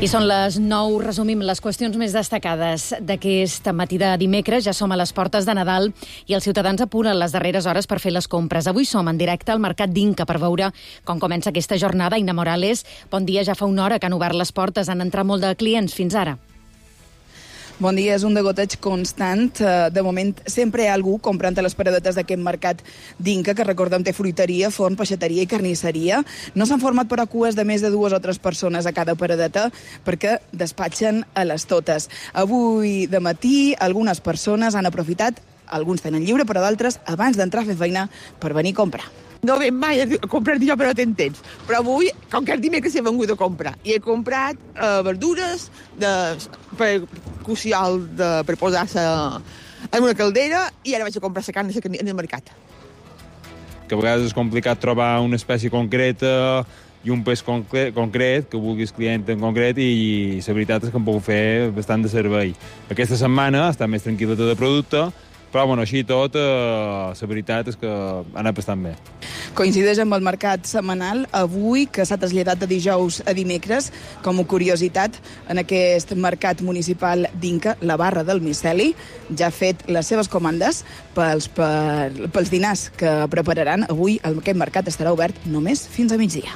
I són les 9, resumim les qüestions més destacades d'aquest matí de dimecres. Ja som a les portes de Nadal i els ciutadans apuren les darreres hores per fer les compres. Avui som en directe al Mercat d'Inca per veure com comença aquesta jornada. Ina Morales, bon dia, ja fa una hora que han obert les portes, han entrat molt de clients fins ara. Bon dia, és un degoteig constant. De moment, sempre hi ha algú comprant a les paradetes d'aquest mercat d'Inca, que recordem té fruiteria, forn, peixateria i carnisseria. No s'han format però cues de més de 2 o 3 persones a cada paradeta perquè despatxen a les totes. Avui de matí algunes persones han aprofitat, alguns tenen lliure, però d'altres abans d'entrar a fer feina per venir a comprar. No ven mai a comprar jo, però tens temps. Però avui, com que el dimecres he vengut a comprar, i he comprat verdures per cuciol per posar-se en una caldera, i ara vaig a comprar la carn en el mercat. Que a vegades és complicat trobar una espècie concreta i un peix concret, que vulguis client en concret, i la veritat és que em puc fer bastant de servei. Aquesta setmana està més tranquil·la tot el producte, però bueno, així i tot, la veritat és que ha anat bastant bé. Coincideix amb el mercat setmanal avui, que s'ha traslladat de dijous a dimecres. Com a curiositat, en aquest mercat municipal d'Inca, la barra del miceli ja ha fet les seves comandes pels dinars que prepararan. Avui aquest mercat estarà obert només fins a migdia.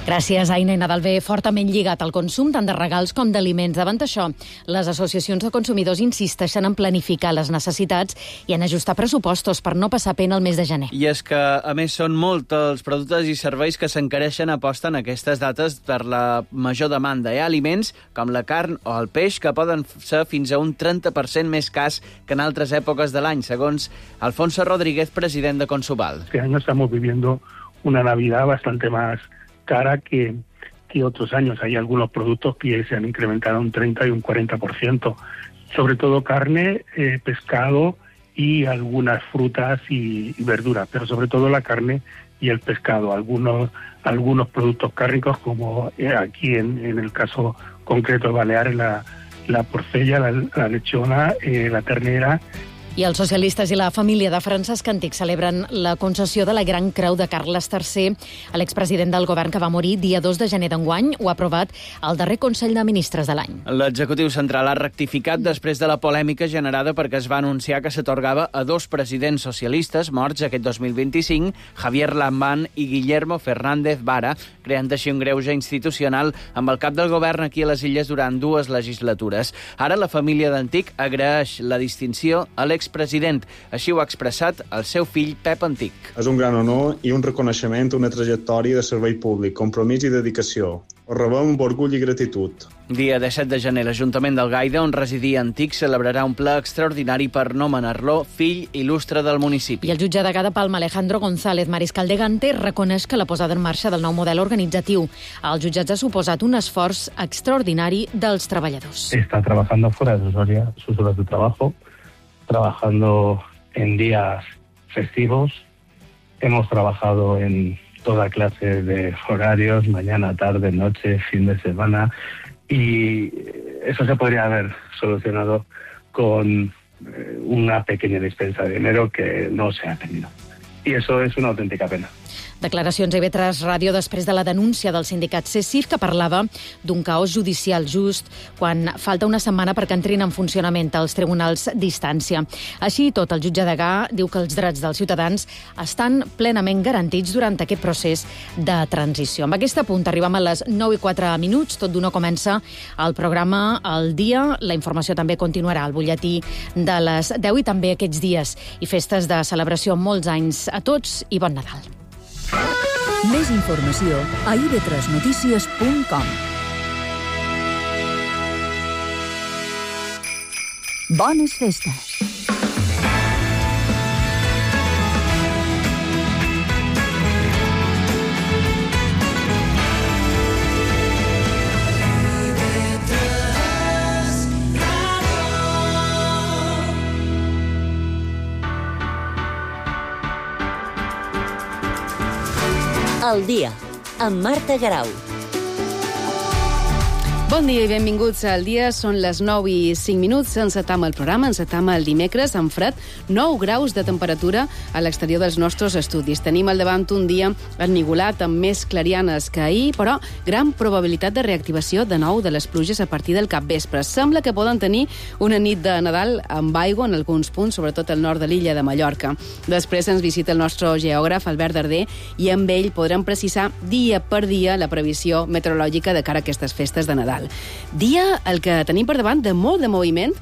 Gràcies, Aina. I Nadal ve fortament lligat al consum tant de regals com d'aliments. Davant això, les associacions de consumidors insisteixen en planificar les necessitats i en ajustar pressupostos per no passar pena el mes de gener. I és que, a més, són molts els productes i serveis que s'encareixen a posta en aquestes dates per la major demanda. Hi ha aliments com la carn o el peix que poden ser fins a un 30% més cars que en altres èpoques de l'any, segons Alfonso Rodríguez, president de Consuval. Este año estamos viviendo una Navidad bastante más cara que otros años. Hay algunos productos que se han incrementado un 30 y un 40%, sobre todo carne, pescado y algunas frutas y verduras, pero sobre todo la carne y el pescado. Algunos productos cárnicos, como aquí en el caso concreto de Baleares, la porcella, la lechona, la ternera. I els socialistes i la família de Francesc Antic celebren la concessió de la Gran Creu de Carles III a l'expresident del govern que va morir dia 2 de gener d'enguany. Ho ha aprovat el darrer Consell de Ministres de l'any. L'executiu central ha rectificat després de la polèmica generada perquè es va anunciar que s'atorgava a 2 presidents socialistes morts aquest 2025, Javier Lambán i Guillermo Fernández Vara, creant així un greuge institucional amb el cap del govern aquí a les Illes durant 2 legislatures. Ara la família d'Antic agraeix la distinció a l'expresident. Així ho ha expressat el seu fill Pep Antic. És un gran honor i un reconeixement a una trajectòria de servei públic, compromís i dedicació. Ho rebem amb orgull i gratitud. Dia 17 de gener, l'Ajuntament del Gaida, on residia Antic, celebrarà un ple extraordinari per nomenar-lo fill il·lustre del municipi. I el jutge de Palma, Alejandro González Mariscal de Gante, reconeix que la posada en marxa del nou model organitzatiu als jutjats ha suposat un esforç extraordinari dels treballadors. Está trabajando fuera de sus horas de trabajo, trabajando en días festivos. Hemos trabajado en toda clase de horarios, mañana, tarde, noche, fin de semana, y eso se podría haber solucionado con una pequeña dispensa de dinero que no se ha tenido. Y eso es una auténtica pena. Declaracions a IB3 Ràdio després de la denúncia del sindicat CECIF, que parlava d'un caos judicial just quan falta una setmana perquè entrin en funcionament els tribunals d'instància. Així i tot, el jutge Degà diu que els drets dels ciutadans estan plenament garantits durant aquest procés de transició. Amb aquest punt arribem a les 9:04. Tot d'una comença el programa El Dia. La informació també continuarà al butlletí de les 10 i també aquests dies i festes de celebració. Molts anys a tots i bon Nadal. Més informació a ib3notícies.com. Bones festes. El Dia, amb Marta Garau. Bon dia i benvinguts al dia. Són les 9:05. Encetam el programa, encetam el dimecres amb fred, 9 graus de temperatura a l'exterior dels nostres estudis. Tenim al davant un dia ennigolat amb més clarianes que ahir, però gran probabilitat de reactivació de nou de les pluges a partir del capvespre. Sembla que poden tenir una nit de Nadal amb aigua en alguns punts, sobretot al nord de l'illa de Mallorca. Després ens visita el nostre geògraf, Albert Darder, i amb ell podrem precisar dia per dia la previsió meteorològica de cara a aquestes festes de Nadal. Dia el que tenim per davant de molt de moviment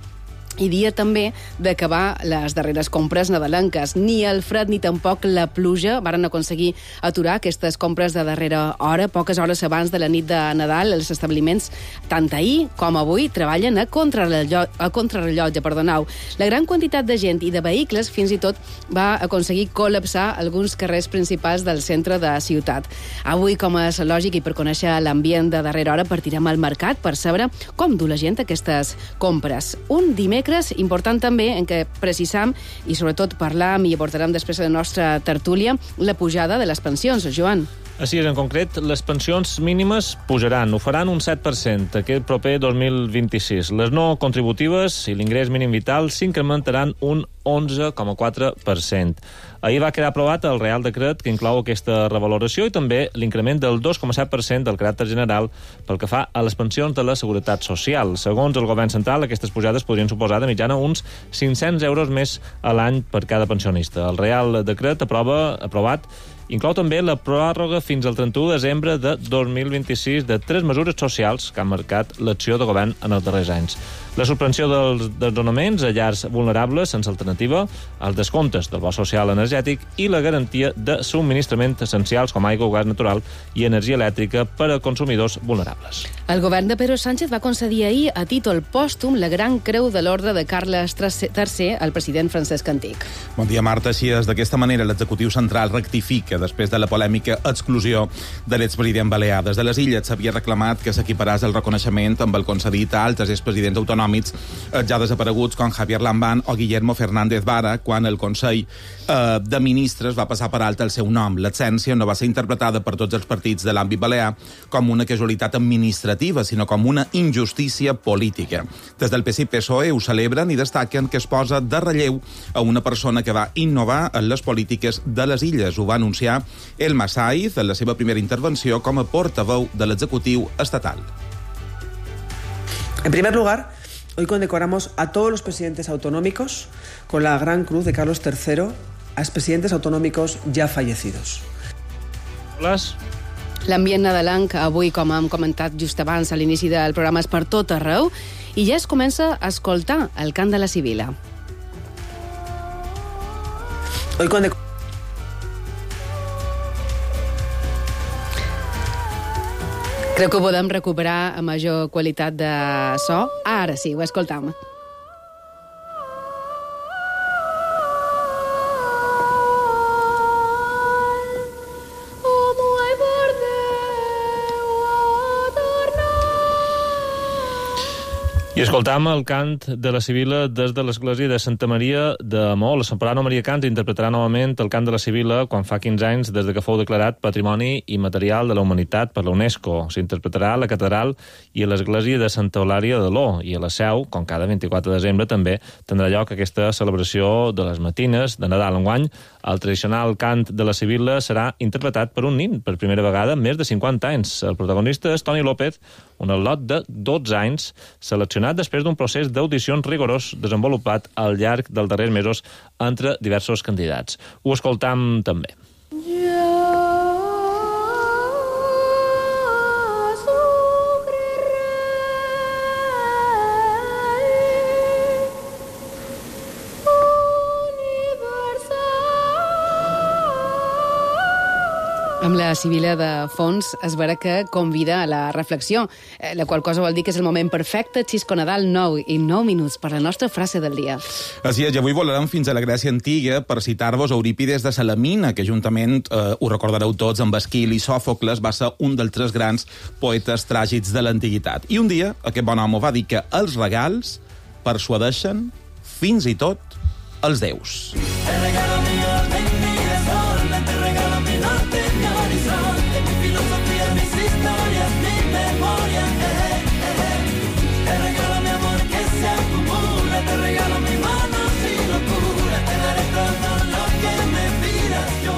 i dia també d'acabar les darreres compres nadalenques. Ni el fred ni tampoc la pluja varen aconseguir aturar aquestes compres de darrera hora. Poques hores abans de la nit de Nadal, els establiments, tant ahir com avui, treballen a contrarrellotge. La gran quantitat de gent i de vehicles fins i tot va aconseguir col·lapsar alguns carrers principals del centre de ciutat. Avui, com és lògic i per conèixer l'ambient de darrera hora, partirem al mercat per saber com du la gent aquestes compres. Un dimecres important també en què precisam i sobretot parlam i abordarem després de la nostra tertúlia la pujada de les pensions. Joan. Així és, en concret, les pensions mínimes pujaran, ho faran un 7% aquest proper 2026. Les no contributives i l'ingrés mínim vital s'incrementaran un 11,4%. Ahir va quedar aprovat el Real Decret que inclou aquesta revaloració i també l'increment del 2,7% del caràcter general pel que fa a les pensions de la Seguretat Social. Segons el govern central, aquestes pujades podrien suposar de mitjana uns 500 euros més a l'any per cada pensionista. El Real Decret aprovat inclou també la pròrroga fins al 31 de desembre de 2026 de 3 mesures socials que han marcat l'acció de govern en els darrers anys. La suspensió dels desnonaments a llars vulnerables sense alternativa, els descomptes del bo social energètic i la garantia de subministraments essencials com aigua, gas natural i energia elèctrica per a consumidors vulnerables. El govern de Pedro Sánchez va concedir ahir a títol pòstum la Gran Creu de l'Orde de Carles III al president Francesc Antic. Bon dia, Marta. Així és, d'aquesta manera l'executiu central rectifica després de la polèmica exclusió de l'expresident balear. Des de les Illes s'havia reclamat que s'equiparàs el reconeixement amb el concedit a altres expresidents autonòmics ja desapareguts com Javier Lambán o Guillermo Fernández Vara quan el Consell de Ministres va passar per alt el seu nom. L'absència no va ser interpretada per tots els partits de l'àmbit balear com una casualitat administrativa, sinó com una injustícia política. Des del PSC-PSOE ho celebren i destaquen que es posa de relleu a una persona que va innovar en les polítiques de les Illes. Ho va anunciar Elma Saiz en la seva primera intervenció com a portaveu de l'executiu estatal. En primer lugar, hoy condecoramos a todos los presidentes autonómicos con la Gran Cruz de Carlos III, a expresidentes autonómicos ya fallecidos. L'ambient nadalenc avui, com hem comentat just abans a l'inici del programa, és per tot arreu i ja es comença a escoltar el cant de la Sibila. Crec que ho podem recuperar a major qualitat de so. Ara sí, ho escoltam. I escoltam el cant de la Sibila des de l'església de Santa Maria de Maó. La Soprano Maria Cans interpretarà novament el cant de la Sibila quan fa 15 anys des de que fou declarat Patrimoni Immaterial de la Humanitat per la UNESCO. S'interpretarà a la catedral i a l'església de Santa Eulària de Ló i a la Seu, com cada 24 de desembre, també tindrà lloc aquesta celebració de les matines de Nadal. Enguany, el tradicional cant de la Sibila serà interpretat per un nin per primera vegada en més de 50 anys. El protagonista és Toni López, un al·lot de 12 anys, seleccionat després d'un procés d'audicions rigorós desenvolupat al llarg dels darrers mesos entre diversos candidats. Ho escoltam també. Amb la Sibila de fons es veurà que convida a la reflexió, la qual cosa vol dir que és el moment perfecte. Xisco Nadal, 9:09 per la nostra frase del dia. Així és, i avui volarem fins a la Grècia antiga per citar-vos Eurípides de Salamina, que juntament, ho recordareu tots, amb Esquil i Sòfocles va ser un dels 3 grans poetes tràgics de l'antiguitat. I un dia aquest bon home va dir que els regals persuadeixen fins i tot els déus. El regalo mío de mi desorden, te regalo mi norte, mi horizonte, mi filosofía, mis historias, mi memoria.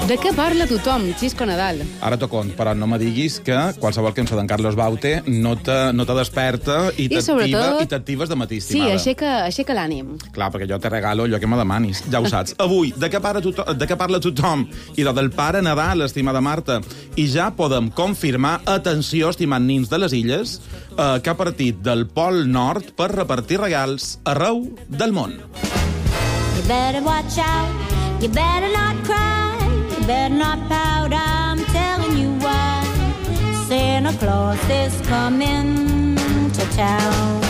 De què parla tothom, Xisco Nadal? Ara t'ho cont, però no me diguis que qualsevol cançó d'en Carlos Baute no te desperta i t'actives de matí, estimada. Sí, aixeca l'ànim. Clar, perquè jo te regalo allò que me demanis, ja ho saps. Avui, de què parla tothom? I del Pare Nadal, estimada Marta. I ja podem confirmar, atenció, estimats nins de les illes, que ha partit del Pol Nord per repartir regals arreu del món. You better watch out, you better not cry, you better not pout, I'm telling you why. Santa Claus is coming to town.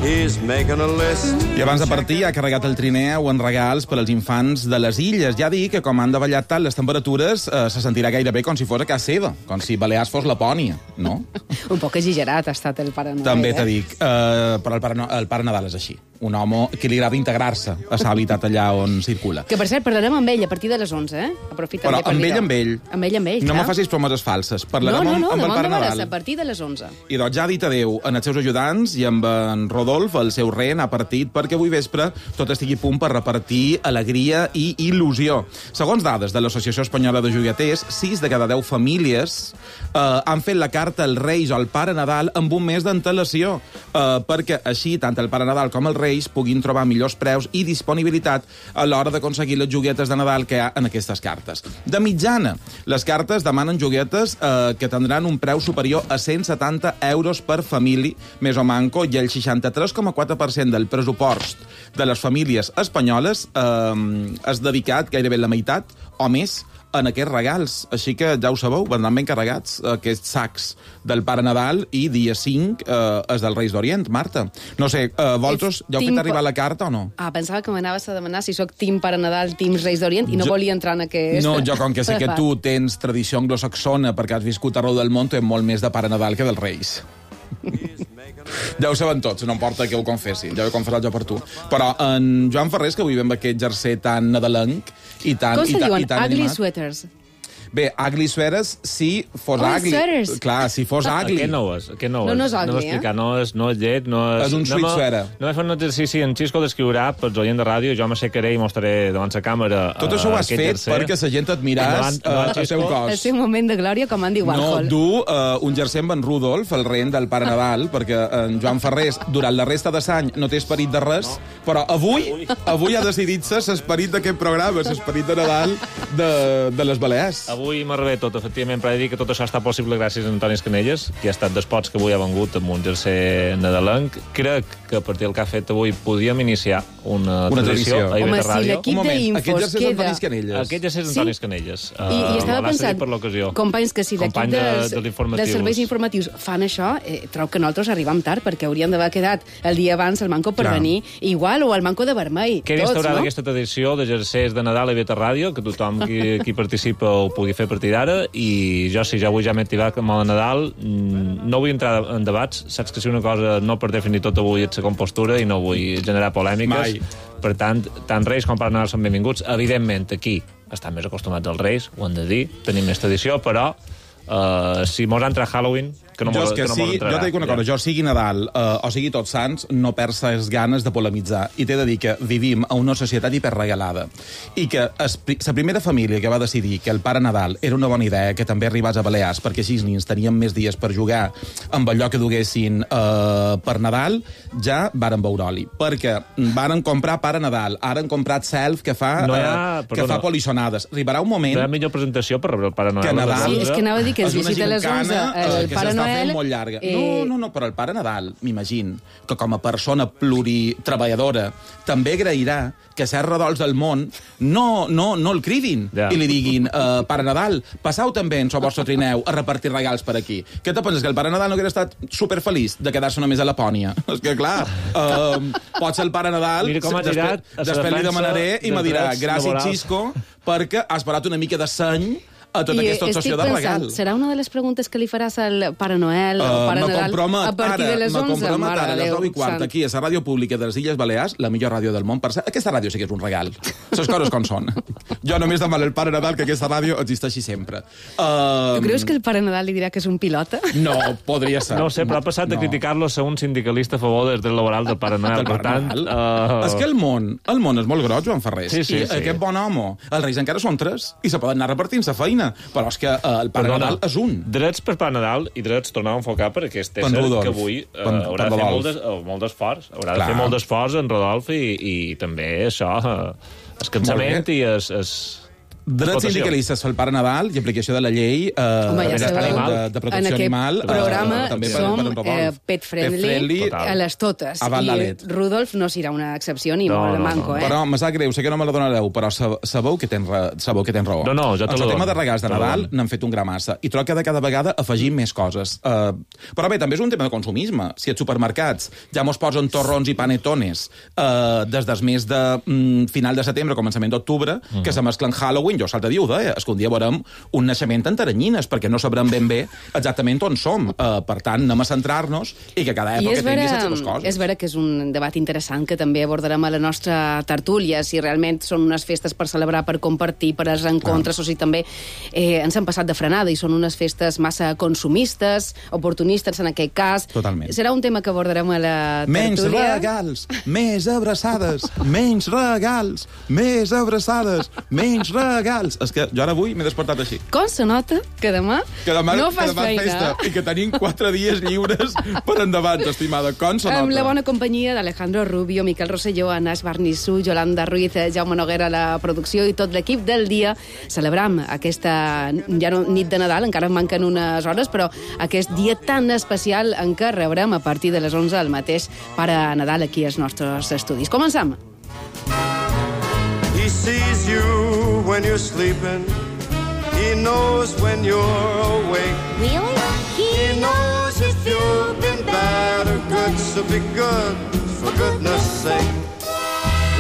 He's making a list. I abans de partir ha carregat el trineu en regals per als infants de les illes. Ja dic que com han davallat tant les temperatures se sentirà gairebé com si fos a casa seva, com si Balears fos Lapònia, no? Un poc exagerat ha estat el Pare Nadal. També t'he dic, però el Pare Nadal és així. Un home que li agrada integrar-se a l'habitat allà on circula. Que, per cert, parlarem amb ell a partir de les 11, eh? Aprofita però amb ell, Amb ell, no clar. me facis promeses falses. Parlarem amb el Pare Nadal. A partir de les 11. I doncs ja ha dit adéu en els seus ajudants i amb en Rodolf, el seu rei, ha partit perquè avui vespre tot estigui a punt per repartir alegria i il·lusió. Segons dades de l'Associació Espanyola de Joiaters, 6 de cada 10 famílies han fet la carta als Reis o al Pare Nadal amb un mes d'antelació, perquè així tant el Pare Nadal com els Reis puguin trobar millors preus i disponibilitat a l'hora d'aconseguir les joguetes de Nadal que hi ha en aquestes cartes. De mitjana, les cartes demanen joguetes que tindran un preu superior a 170 euros per família, més o manco, i el 63,4% del pressupost de les famílies espanyoles és dedicat gairebé la meitat o més en aquests regals. Així que ja ho sabeu, vendran ben carregats aquests sacs del Pare Nadal i dia 5 és del Reis d'Orient, Marta. No sé, vosaltres ja heu fet arribar la carta o no? Pensava que m'anaves a demanar si sóc Team Pare Nadal, Team Reis d'Orient, i no volia entrar en aquest... No, jo com que sé que tu tens tradició anglosaxona perquè has viscut arreu del món, tens molt més de Pare Nadal que dels Reis. Ja ho saben tots, no importa que ho confessi, ja ho he confessat jo per tu. Però en Joan Ferrés, que avui ve amb aquest jersei tan nadalenc i tan com se diuen? Ugly animat. Sweaters. Bé, ugly sweaters, si fos ugly. Sweaters. Clar, si fos ugly. Aquest no és. No és ugly, no és llet, no és... És un sweet sweater. No he fet un exercici, en Xisco descriurà pels oients de ràdio, jo m'aixecaré i mostraré davant la càmera tot això ho has fet perquè la gent et miràs el seu cos. El seu moment de glòria, com Andy Warhol. No, du un jersei amb en Rudolf, el rei del Pare Nadal, perquè en Joan Ferrés, durant la resta de l'any, no té esperit de res, però avui ha decidit-se l'esperit d'aquest programa, l'esperit de Nadal de les Balears. Avui m'arriba tot, efectivament, per dir que tot això està possible gràcies a Antoni Escanelles, que ha estat dels pots que avui ha vengut amb un jersei nadalenc. Crec que a partir del que ha fet avui podíem iniciar una tradició a IB3 Ràdio. Si l'equip d'Infos aquest jersei és Antoni Escanelles. Aquest jersei és Antoni Escanelles. I estava pensant, companys, que si l'equip dels serveis informatius fan això, trobo que nosaltres arribem tard, perquè hauríem d'haver quedat el dia abans el manco per venir igual, o el manco de vermell. Queda instaurada aquesta tradició de jerseis de Nadal a IB3 Ràdio, que tothom qui participa ho pugui fer a partir d'ara, i jo, si ja avui ja m'he activat amb el Nadal, no vull entrar en debats. Saps que si una cosa no per definir tot avui és la compostura i no vull generar polèmiques. Per tant Reis com Pare Nadal són benvinguts. Evidentment, aquí estan més acostumats als Reis, ho hem de dir, tenim més tradició, però si mos entra Halloween, que no mos entrarà. Jo t'he dit una cosa, jo sigui Nadal o sigui Tots Sants, no perds les ganes de polemitzar. I t'he de dir que vivim a una societat hiperregalada i que la primera família que va decidir que el Pare Nadal era una bona idea, que també arribés a Balears, perquè així els nins tenien més dies per jugar amb allò que duguessin per Nadal, ja varen veure-li. Perquè varen comprar Pare Nadal, ara han comprat Self, que fa polissonades. Arribarà un moment... No hi ha millor presentació per rebre el Pare Noel. Sí, és que anava a dir que es visita a les 11 el Pare Noel... molt llarga. No, però el Pare Nadal, m'imagino, que com a persona pluritreballadora també agrairà que certs redols del món no el cridin i li diguin, Pare Nadal, passau també en el vostre trineu a repartir regals per aquí. Què te penses, que el Pare Nadal no hauria estat superfeliç de quedar-se només a Lapònia? És que, clar, pot ser el Pare Nadal, després li demanaré i me dirà, gràcies, Xisco, perquè has parat una mica de seny a tota aquesta obsessió de regal. Serà una de les preguntes que li faràs al Pare Noel o Pare Nadal a partir de les 11? Me compromet ara, a les 9:15, aquí, a la ràdio pública de les Illes Balears, la millor ràdio del món. Per cert, aquesta ràdio sí que és un regal. Les coses com són. Jo només demano al Pare Nadal que aquesta ràdio existeixi sempre. Tu creus que el Pare Nadal li dirà que és un pilota? No, podria ser. No ho sé, però ha passat a criticar-lo a ser un sindicalista a favor dels drets laborals del Pare Noel. Per tant... És que el món és molt gros, Joan Ferrés. Sí. I aquest bon home, els Reis encara són 3 i se poden anar repartint la feina, però és que el Pare Nadal és un. Drets per Pare Nadal i drets tornar a enfocar per aquest ésser que avui haurà de fer molt d'esforç. Haurà de fer molt d'esforç en Rodolf i també això, el cansament i drets sindicalistes pel Pare Nadal i aplicació de la llei de protecció animal. En aquest programa som pet friendly a les totes. I Rudolf no serà una excepció ni molt manco. Però me sap greu, sé que no me la donareu, però sabeu que tens raó. No, jo te la dono. El tema de regals de Nadal n'han fet un gra massa i trobo que de cada vegada afegim més coses. Però bé, també és un tema de consumisme. Si als supermercats ja mos posen torrons i panetones des del mes de final de setembre, començament d'octubre, que se mesclen Halloween, jo l'altre dia ho deia, és que un dia veurem un naixement en Taranyines, perquè no sabrem ben bé exactament on som. Per tant, anem a centrar-nos i que cada època tingui les seves coses. És vera que és un debat interessant que també abordarem a la nostra tertúlia, si realment són unes festes per celebrar, per compartir, per als reencontres, o si també ens han passat de frenada i són unes festes massa consumistes, oportunistes en aquest cas. Totalment. Serà un tema que abordarem a la tertúlia. Menys regals, més abraçades, menys regals, més abraçades, menys regals. És que jo ara avui m'he despertat així. Com se nota que demà no fas feina? Festa, i que tenim 4 dies lliures per endavant, estimada. Com se nota? Amb la bona companyia d'Alejandro Rubio, Miquel Rosselló, Anas Barnissú, Yolanda Ruiz, Jaume Noguera a la producció i tot l'equip del dia. Celebram aquesta nit de Nadal, encara manquen unes hores, però aquest dia tan especial en què rebrem a partir de les 11 el mateix Pare Nadal aquí als nostres estudis. Comencem! He sees you when you're sleeping. He knows when you're awake. Really? He knows if you've been bad or good, so be good, for goodness sake.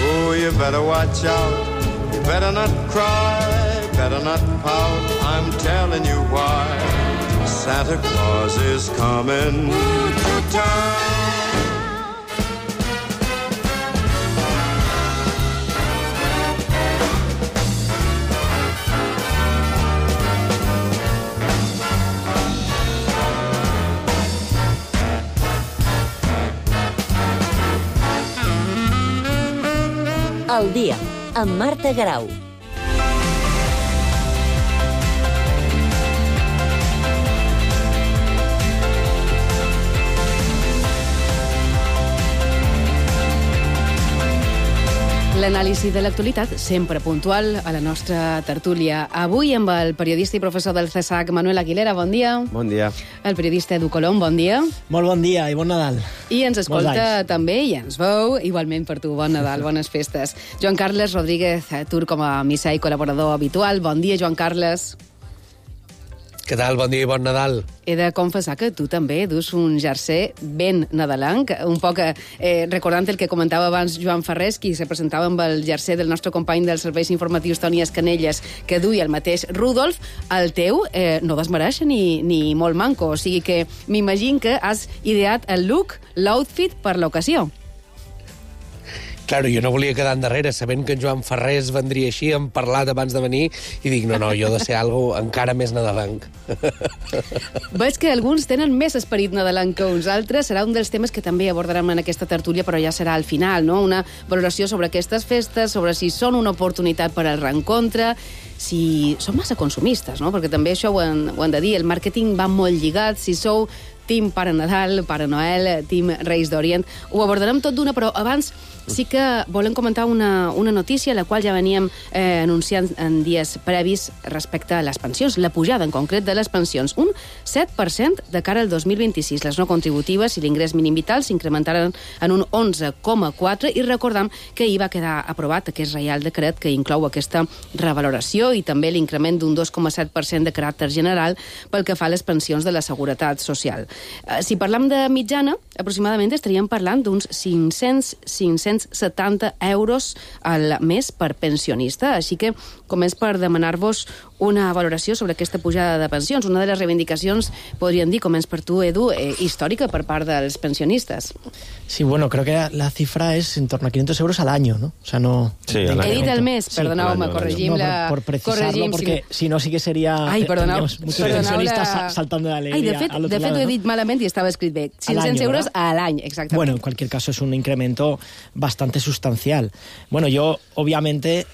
Oh, you better watch out. You better not cry, better not pout. I'm telling you why. Santa Claus is coming to town. Al dia, amb Marta Garau. L'anàlisi de l'actualitat, sempre puntual, a la nostra tertúlia. Avui amb el periodista i professor del CSAC, Manuel Aguilera, bon dia. Bon dia. El periodista Edu Colom, bon dia. Molt bon dia i bon Nadal. I ens escolta també i ens veu, igualment per tu, bon Nadal, bones festes. Joan Carles Rodríguez Tur, com a missa i col·laborador habitual. Bon dia, Joan Carles. Què tal? Bon dia i bon Nadal. He de confessar que tu també dus un jersei ben nadalenc, un poc recordant el que comentava abans Joan Ferrés, qui se presentava amb el jersei del nostre company dels serveis informatius Toni Escanelles, que duia el mateix Rudolf. El teu no desmereix ni molt manco, o sigui que m'imagino que has ideat el look, l'outfit per l'ocasió. Claro, jo no volia quedar endarrere, sabent que en Joan Ferrés vendria així, hem parlat abans de venir, i dic, no, jo he de ser algo encara més nadalenc. Veig que alguns tenen més esperit nadalenc que uns altres. Serà un dels temes que també abordarem en aquesta tertúlia, però ja serà al final, no? Una valoració sobre aquestes festes, sobre si són una oportunitat per al reencontre, si són massa consumistes, no? Perquè també això ho han de dir, el màrqueting va molt lligat, si sou Team Pare Nadal, Pare Noel, Team Reis d'Orient. Ho abordarem tot d'una, però abans sí que volem comentar una notícia, la qual ja veníem anunciant en dies previs respecte a les pensions, la pujada en concret de les pensions. Un 7% de cara al 2026. Les no contributives i l'ingrés mínim vital s'incrementaran en un 11,4% i recordam que hi va quedar aprovat aquest reial decret que inclou aquesta revaloració i també l'increment d'un 2,7% de caràcter general pel que fa a les pensions de la Seguretat Social. Si parlam de mitjana, aproximadament estaríem parlant d'uns 570 euros al mes per pensionista, així que començ per demanar-vos una valoració sobre aquesta pujada de pensions, una de les reivindicacions, podríem dir, començ per tu, Edu, històrica per part dels pensionistes. Sí, bueno, creo que la cifra es en torno a 500 euros al año, ¿no? O sea, no... Sí, he dit el mes, perdoneu-me, corregim la... Por precisarlo, porque si no sí que sería... Ai, perdoneu, muchos pensionistas saltando de alegría al otro lado. De fet, ho he dit malament i estava escrit bé. 500 euros a l'any, exactament. Bueno, en cualquier caso es un incremento bastante sustancial. Bueno, yo, obviamente...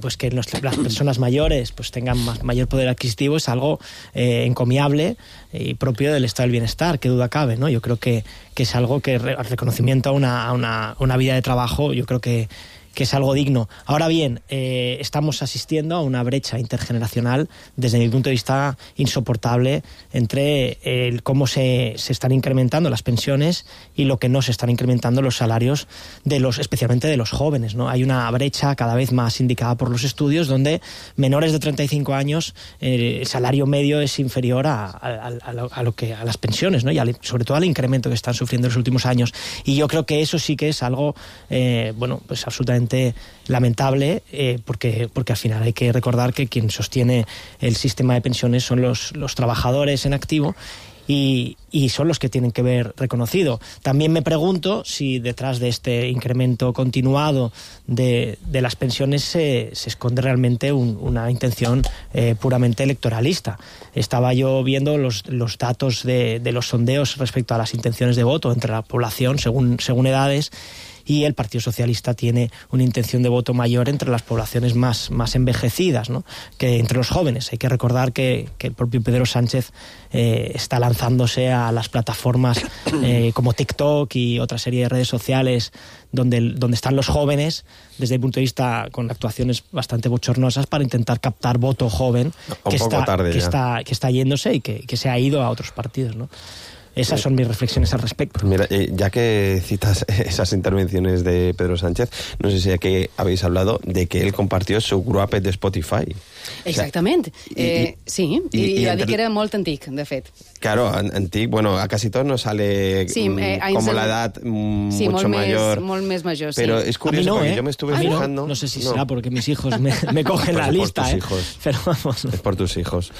pues que las personas mayores pues tengan mayor poder adquisitivo es algo encomiable y propio del estado del bienestar, qué duda cabe, ¿no? Yo creo que es algo que el reconocimiento a una vida de trabajo, yo creo que es algo digno. Ahora bien, estamos asistiendo a una brecha intergeneracional, desde mi punto de vista, insoportable entre cómo se están incrementando las pensiones y lo que no se están incrementando los salarios, especialmente de los jóvenes, ¿no? Hay una brecha cada vez más indicada por los estudios, donde menores de 35 años el salario medio es inferior a las pensiones, ¿no? Y sobre todo al incremento que están sufriendo en los últimos años. Y yo creo que eso sí que es algo, pues absolutamente lamentable, porque al final hay que recordar que quien sostiene el sistema de pensiones son los trabajadores en activo y son los que tienen que ver reconocido. También me pregunto si detrás de este incremento continuado de las pensiones se esconde realmente una intención puramente electoralista. Estaba yo viendo los datos de los sondeos respecto a las intenciones de voto entre la población según edades, y el Partido Socialista tiene una intención de voto mayor entre las poblaciones más envejecidas, ¿no?, que entre los jóvenes. Hay que recordar que el propio Pedro Sánchez está lanzándose a las plataformas como TikTok y otra serie de redes sociales donde están los jóvenes, desde el punto de vista con actuaciones bastante bochornosas, para intentar captar voto joven que está yéndose y que se ha ido a otros partidos, ¿no? Esas son mis reflexiones al respecto. Pues mira, ya que citas esas intervenciones de Pedro Sánchez, no sé si aquí habéis hablado de que él compartió su gruapet de Spotify. Exactament. Sí, i va dir que era molt antic, de fet. Claro, antic, bueno, a casi todos nos sale como la edad mucho mayor. Sí, molt més major, sí. Pero es curioso, porque yo me estuve fijando... No sé si será porque mis hijos me cogen la lista, pero vamos. Es por tus hijos.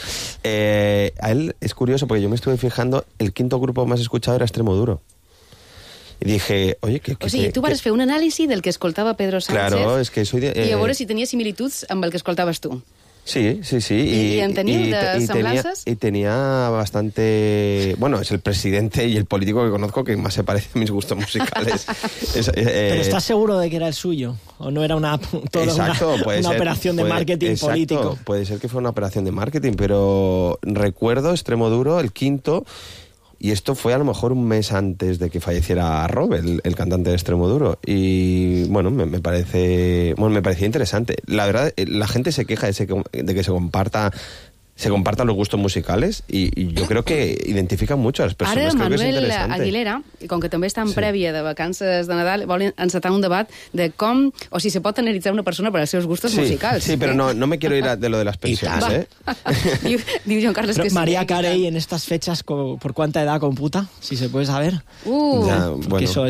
A él es curioso, porque yo me estuve fijando, el quinto grupo más escuchado era Extremoduro. I dije, oye, O sigui, tu vas fer un anàlisi del que escoltava Pedro Sánchez, claro, es que soy i a veure si tenia similituds amb el que escoltaves tu. Sí. ¿Y en tenía de semblanzas? Y tenía bastante... Bueno, es el presidente y el político que conozco que más se parece a mis gustos musicales. ¿Pero estás seguro de que era el suyo? ¿O no era una operación de marketing político? Puede ser que fue una operación de marketing, pero recuerdo Extremoduro, el quinto... Y esto fue a lo mejor un mes antes de que falleciera Rob, el cantante de Extremoduro. Y bueno, me parecía interesante. La verdad, la gente se queja de que se compartan los gustos musicales y yo creo que identifican mucho a las personas. Ara creo Manuel que es Aguilera, com que també està en prèvia de vacances de Nadal, vol encetar un debat de com o si se pot analitzar una persona per als seus gustos musicals. Sí, pero no me quiero ir de lo de las pensiones. Diu Joan Carles que sí. María Carey en estas fechas, ¿por cuánta edad computa? Si se puede saber. Bueno. Eso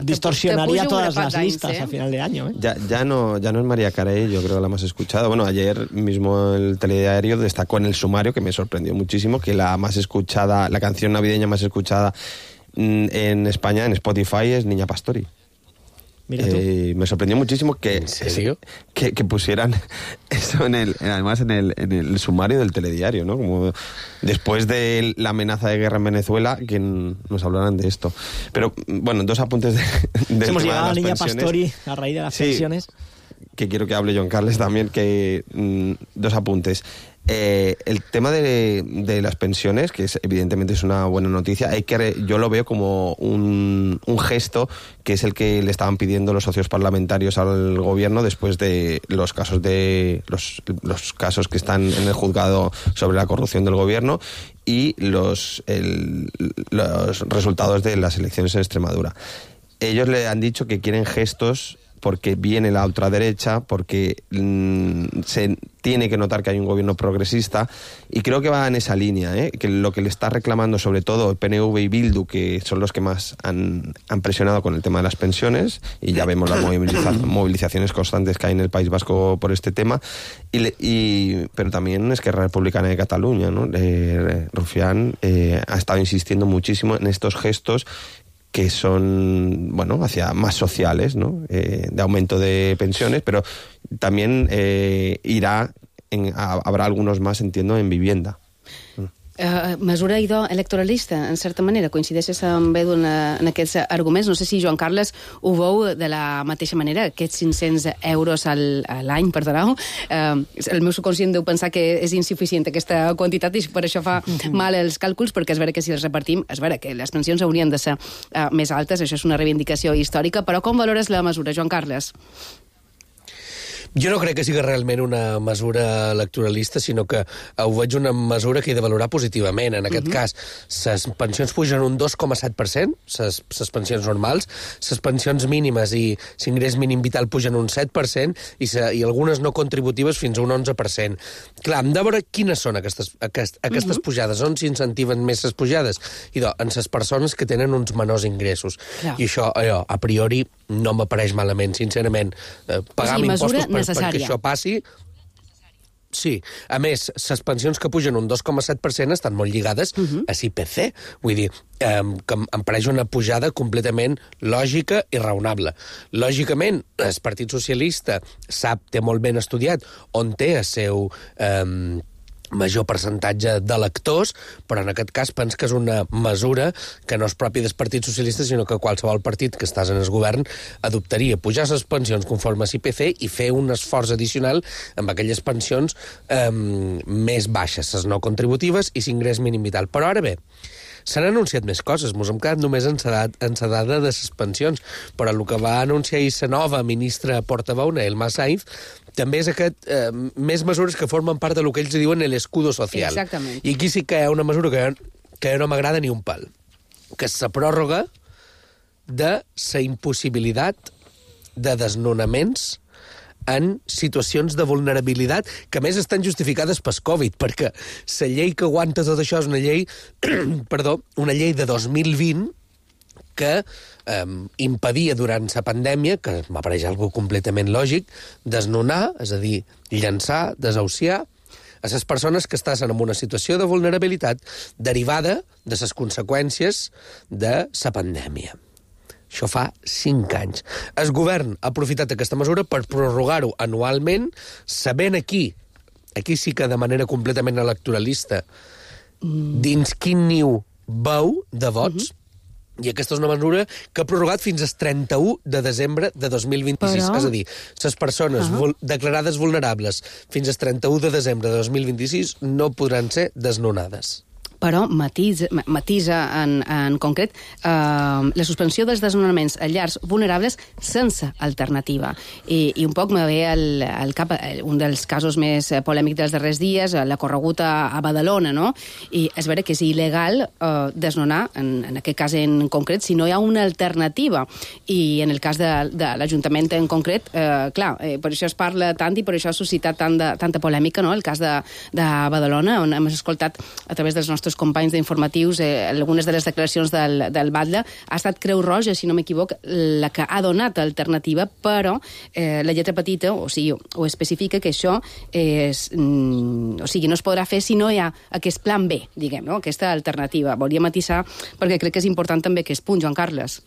distorsionaría todas las listas a final de año. Ya no es María Carey, yo creo que la más escuchada. Bueno, ayer mismo el telediario destacó en el sumario, que me sorprendió muchísimo, que la canción navideña más escuchada en España, en Spotify, es Niña Pastori. Mira tú. Me sorprendió muchísimo que pusieran eso además en el sumario del telediario, ¿no? Como después de la amenaza de guerra en Venezuela, que nos hablaran de esto. Pero bueno, dos apuntes de hemos llegado a Niña Pastori a raíz de las pensiones. Que quiero que hable Joan Carles también, dos apuntes. El tema de las pensiones, que evidentemente es una buena noticia, yo lo veo como un gesto que es el que le estaban pidiendo los socios parlamentarios al gobierno después de los casos los casos que están en el juzgado sobre la corrupción del gobierno y los resultados de las elecciones en Extremadura. Ellos le han dicho que quieren gestos porque viene la ultraderecha, porque se tiene que notar que hay un gobierno progresista, y creo que va en esa línea, que lo que le está reclamando sobre todo el PNV y Bildu, que son los que más han presionado con el tema de las pensiones, y ya vemos las movilizaciones constantes que hay en el País Vasco por este tema, pero también Esquerra Republicana de Cataluña, ¿no? Rufián ha estado insistiendo muchísimo en estos gestos que son, hacia más sociales, ¿no? De aumento de pensiones, pero también habrá algunos más, entiendo, en vivienda. Mesura idò electoralista, en certa manera, coincideixes amb Edu en aquests arguments. No sé si Joan Carles ho veu de la mateixa manera, aquests 500 euros a l'any, perdoneu. El meu subconscient deu pensar que és insuficient aquesta quantitat i per això fa mal els càlculs, perquè és vera que si els repartim, és vera que les pensions haurien de ser més altes, això és una reivindicació històrica, però com valores la mesura, Joan Carles? Jo no crec que sigui realment una mesura electoralista, sinó que ho veig una mesura que he de valorar positivament. En aquest cas, les pensions pugen un 2,7%, les pensions normals, les pensions mínimes i l'ingrés mínim vital pugen un 7%, i algunes no contributives fins a un 11%. Clar, hem de veure quines són aquestes pujades, on s'incentiven més les pujades. I en les persones que tenen uns menors ingressos. I això, a priori, no m'apareix malament, sincerament. Pagar impostos perquè això passi... Sí. A més, les pensions que pugen un 2,7% estan molt lligades a l'IPC. Vull dir, que em pareix una pujada completament lògica i raonable. Lògicament, el Partit Socialista té molt ben estudiat on té el seu major percentatge d'electors, però en aquest cas penso que és una mesura que no és pròpia del Partit Socialista, sinó que qualsevol partit que estàs en el govern adoptaria pujar les pensions conforme a l'IPC i fer un esforç addicional amb aquelles pensions més baixes, les no contributives i l'ingrés mínim vital. Però ara bé, s'han anunciat més coses, ens hem quedat només en la dada de les pensions, però el que va anunciar la nova ministra portaveu, Elma Sainz, també és més mesures que formen part del que ells diuen l'escudo social. Exactament. I aquí sí que hi ha una mesura que no m'agrada ni un pal, que és la pròrroga de la impossibilitat de desnonaments en situacions de vulnerabilitat que a més estan justificades pel Covid, perquè la llei que aguanta tot això és una llei una llei de 2020 que impedia durant la pandèmia, que m'apareix algo completament lògic, desnonar, és a dir, llançar, desahuciar a les persones que estan en una situació de vulnerabilitat derivada de les conseqüències de la pandèmia. Això fa 5 anys. El govern ha aprofitat aquesta mesura per prorrogar-ho anualment, sabent aquí sí que de manera completament electoralista, dins quin niu veu de vots, i aquesta és una mesura que ha prorrogat fins al 31 de desembre de 2026. Però... És a dir, les persones declarades vulnerables fins al 31 de desembre de 2026 no podran ser desnonades. Però matisa en concret la suspensió dels desnonaments a llars vulnerables sense alternativa. I un poc me ve al cap un dels casos més polèmics dels darrers dies, la corregut a Badalona, no? I és vera que és il·legal desnonar, en aquest cas en concret, si no hi ha una alternativa. I en el cas de l'Ajuntament en concret, clar, per això es parla tant i per això ha suscitat tanta polèmica, no? El cas de Badalona, on hem escoltat a través dels nostres companys d'informatius, algunes de les declaracions del batlle, ha estat Creu Roja, si no m'equivoc, la que ha donat alternativa, però la lletra petita, o sigui, ho especifica que això no es podrà fer si no hi ha aquest plan B, diguem, no? Aquesta alternativa. Volia matisar, perquè crec que és important també aquest punt, Joan Carles.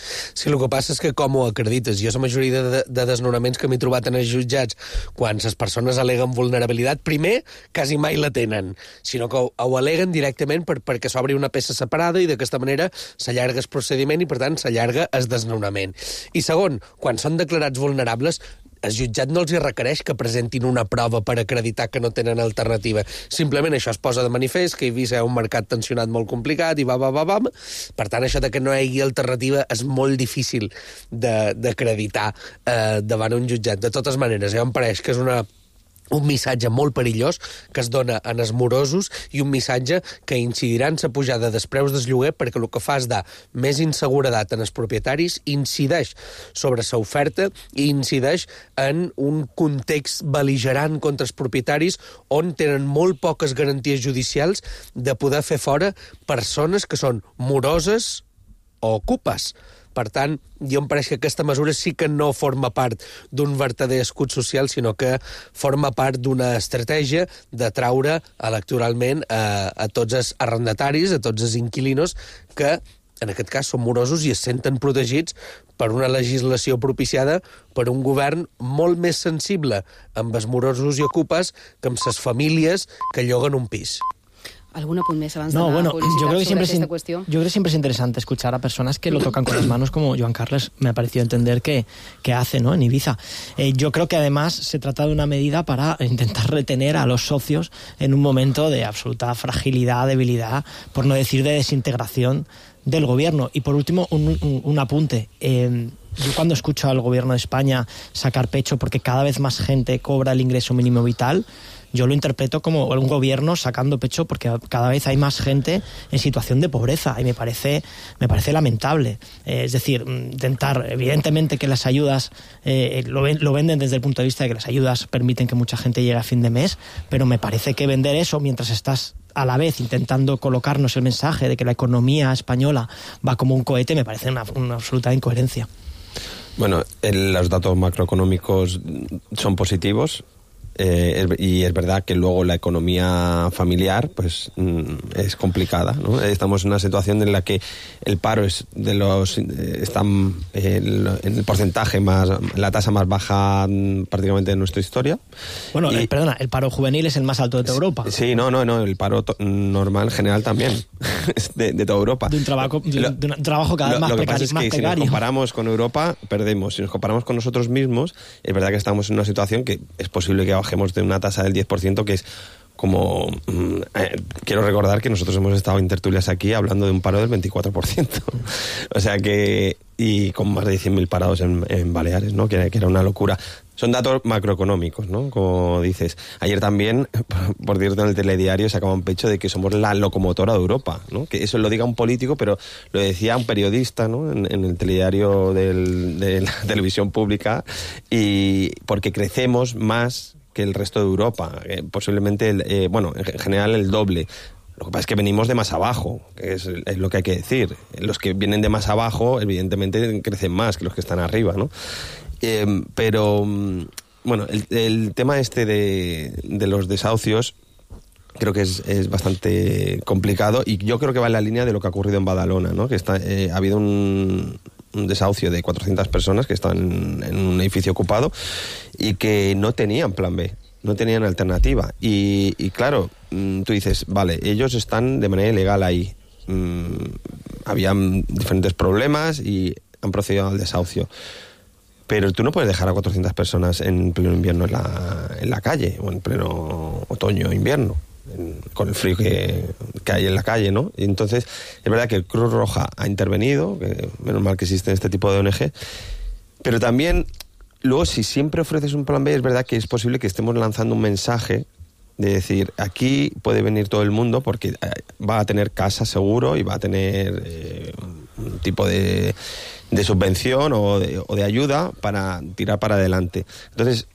Sí, el que passa és que com ho acredites? Jo la majoria de desnonaments que m'he trobat en els jutjats, quan les persones aleguen vulnerabilitat, primer, quasi mai la tenen, sinó que ho aleguen directament perquè s'obri una peça separada i d'aquesta manera s'allarga el procediment i, per tant, s'allarga el desnonament. I segon, quan són declarats vulnerables, el jutjat no els requereix que presentin una prova per acreditar que no tenen alternativa. Simplement això es posa de manifest, que hi havia un mercat tensionat molt complicat i va. Per tant, això de que no hi hagi alternativa és molt difícil d'acreditar davant un jutjat. De totes maneres, em pareix que és una un missatge molt perillós que es dona en els morosos i un missatge que incidirà en la pujada dels preus del lloguer perquè el que fa és dar més inseguretat en els propietaris, incideix sobre l'oferta i incideix en un context bel·ligerant contra els propietaris on tenen molt poques garanties judicials de poder fer fora persones que són moroses o ocupes. Per tant, jo em pareix que aquesta mesura sí que no forma part d'un verdader escut social, sinó que forma part d'una estratègia de traure electoralment a tots els arrendataris, a tots els inquilinos que, en aquest cas, són morosos i es senten protegits per una legislació propiciada per un govern molt més sensible amb els morosos i ocupes que amb les famílies que lloguen un pis. ¿Algún apunte más avanzado? Yo creo que siempre es interesante escuchar a personas que lo tocan con las manos, como Joan Carles me ha parecido entender que hace, ¿no?, en Ibiza. Yo creo que además se trata de una medida para intentar retener a los socios en un momento de absoluta fragilidad, debilidad, por no decir de desintegración del gobierno. Y por último, un apunte. Yo cuando escucho al gobierno de España sacar pecho porque cada vez más gente cobra el ingreso mínimo vital, yo lo interpreto como un gobierno sacando pecho porque cada vez hay más gente en situación de pobreza y me parece lamentable. Es decir, intentar, evidentemente que las ayudas lo venden desde el punto de vista de que las ayudas permiten que mucha gente llegue a fin de mes, pero me parece que vender eso mientras estás a la vez intentando colocarnos el mensaje de que la economía española va como un cohete me parece una absoluta incoherencia. Bueno, los datos macroeconómicos son positivos. Y es verdad que luego la economía familiar pues es complicada, ¿no? Estamos en una situación en la que el paro es está en el porcentaje más, la tasa más baja prácticamente de nuestra historia. Bueno, perdona, el paro juvenil es el más alto de toda Europa. Sí, no, el paro normal general también de toda Europa. De un trabajo cada vez más precario. Lo que pasa es que si nos comparamos con Europa, perdemos. Si nos comparamos con nosotros mismos, es verdad que estamos en una situación que es posible que bajemos de una tasa del 10%, que es como... quiero recordar que nosotros hemos estado en tertulias aquí hablando de un paro del 24%. O sea que... Y con más de 100.000 parados en Baleares, ¿no? Que era una locura. Son datos macroeconómicos, ¿no? Como dices. Ayer también, por cierto, en el telediario sacaban pecho de que somos la locomotora de Europa, ¿no? Que eso lo diga un político, pero lo decía un periodista, ¿no? En el telediario de la televisión pública, y porque crecemos más que el resto de Europa, posiblemente, en general el doble. Lo que pasa es que venimos de más abajo, que es lo que hay que decir. Los que vienen de más abajo, evidentemente, crecen más que los que están arriba, ¿no? Pero, bueno, el tema este de los desahucios creo que es bastante complicado, y yo creo que va en la línea de lo que ha ocurrido en Badalona, ¿no? Que ha habido un desahucio de 400 personas que estaban en un edificio ocupado y que no tenían plan B, no tenían alternativa. Y claro, tú dices, vale, ellos están de manera ilegal ahí. Habían diferentes problemas y han procedido al desahucio. Pero tú no puedes dejar a 400 personas en pleno invierno en la calle, o en pleno otoño o invierno, con el frío que hay en la calle, ¿no? Y entonces, es verdad que Cruz Roja ha intervenido, que menos mal que existe este tipo de ONG, pero también, luego, si siempre ofreces un plan B, es verdad que es posible que estemos lanzando un mensaje de decir, aquí puede venir todo el mundo porque va a tener casa seguro y va a tener un tipo de subvención o de ayuda para tirar para adelante. Entonces,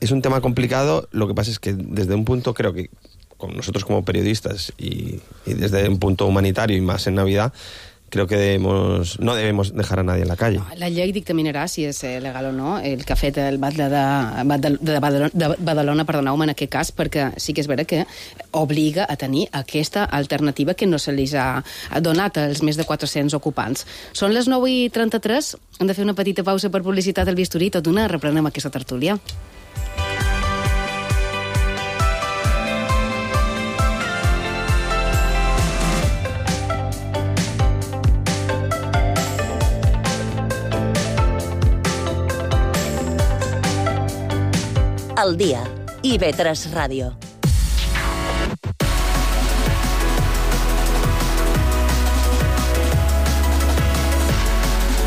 es un tema complicado. Lo que pasa es que desde un punto, creo que con nosotros como periodistas y desde un punto humanitario y más en Navidad, creo que no debemos dejar a nadie en la calle. La llei dictaminarà si és legal o no el que ha fet el batlle de Badalona, perdoneu-me, en aquest cas, perquè sí que és vera que obliga a tenir aquesta alternativa que no se li ha donat als més de 400 ocupants. Són les 9:33, hem de fer una petita pausa per publicitat del bisturí, tot d'una reprenem aquesta tertúlia. Al dia, IB3 Ràdio.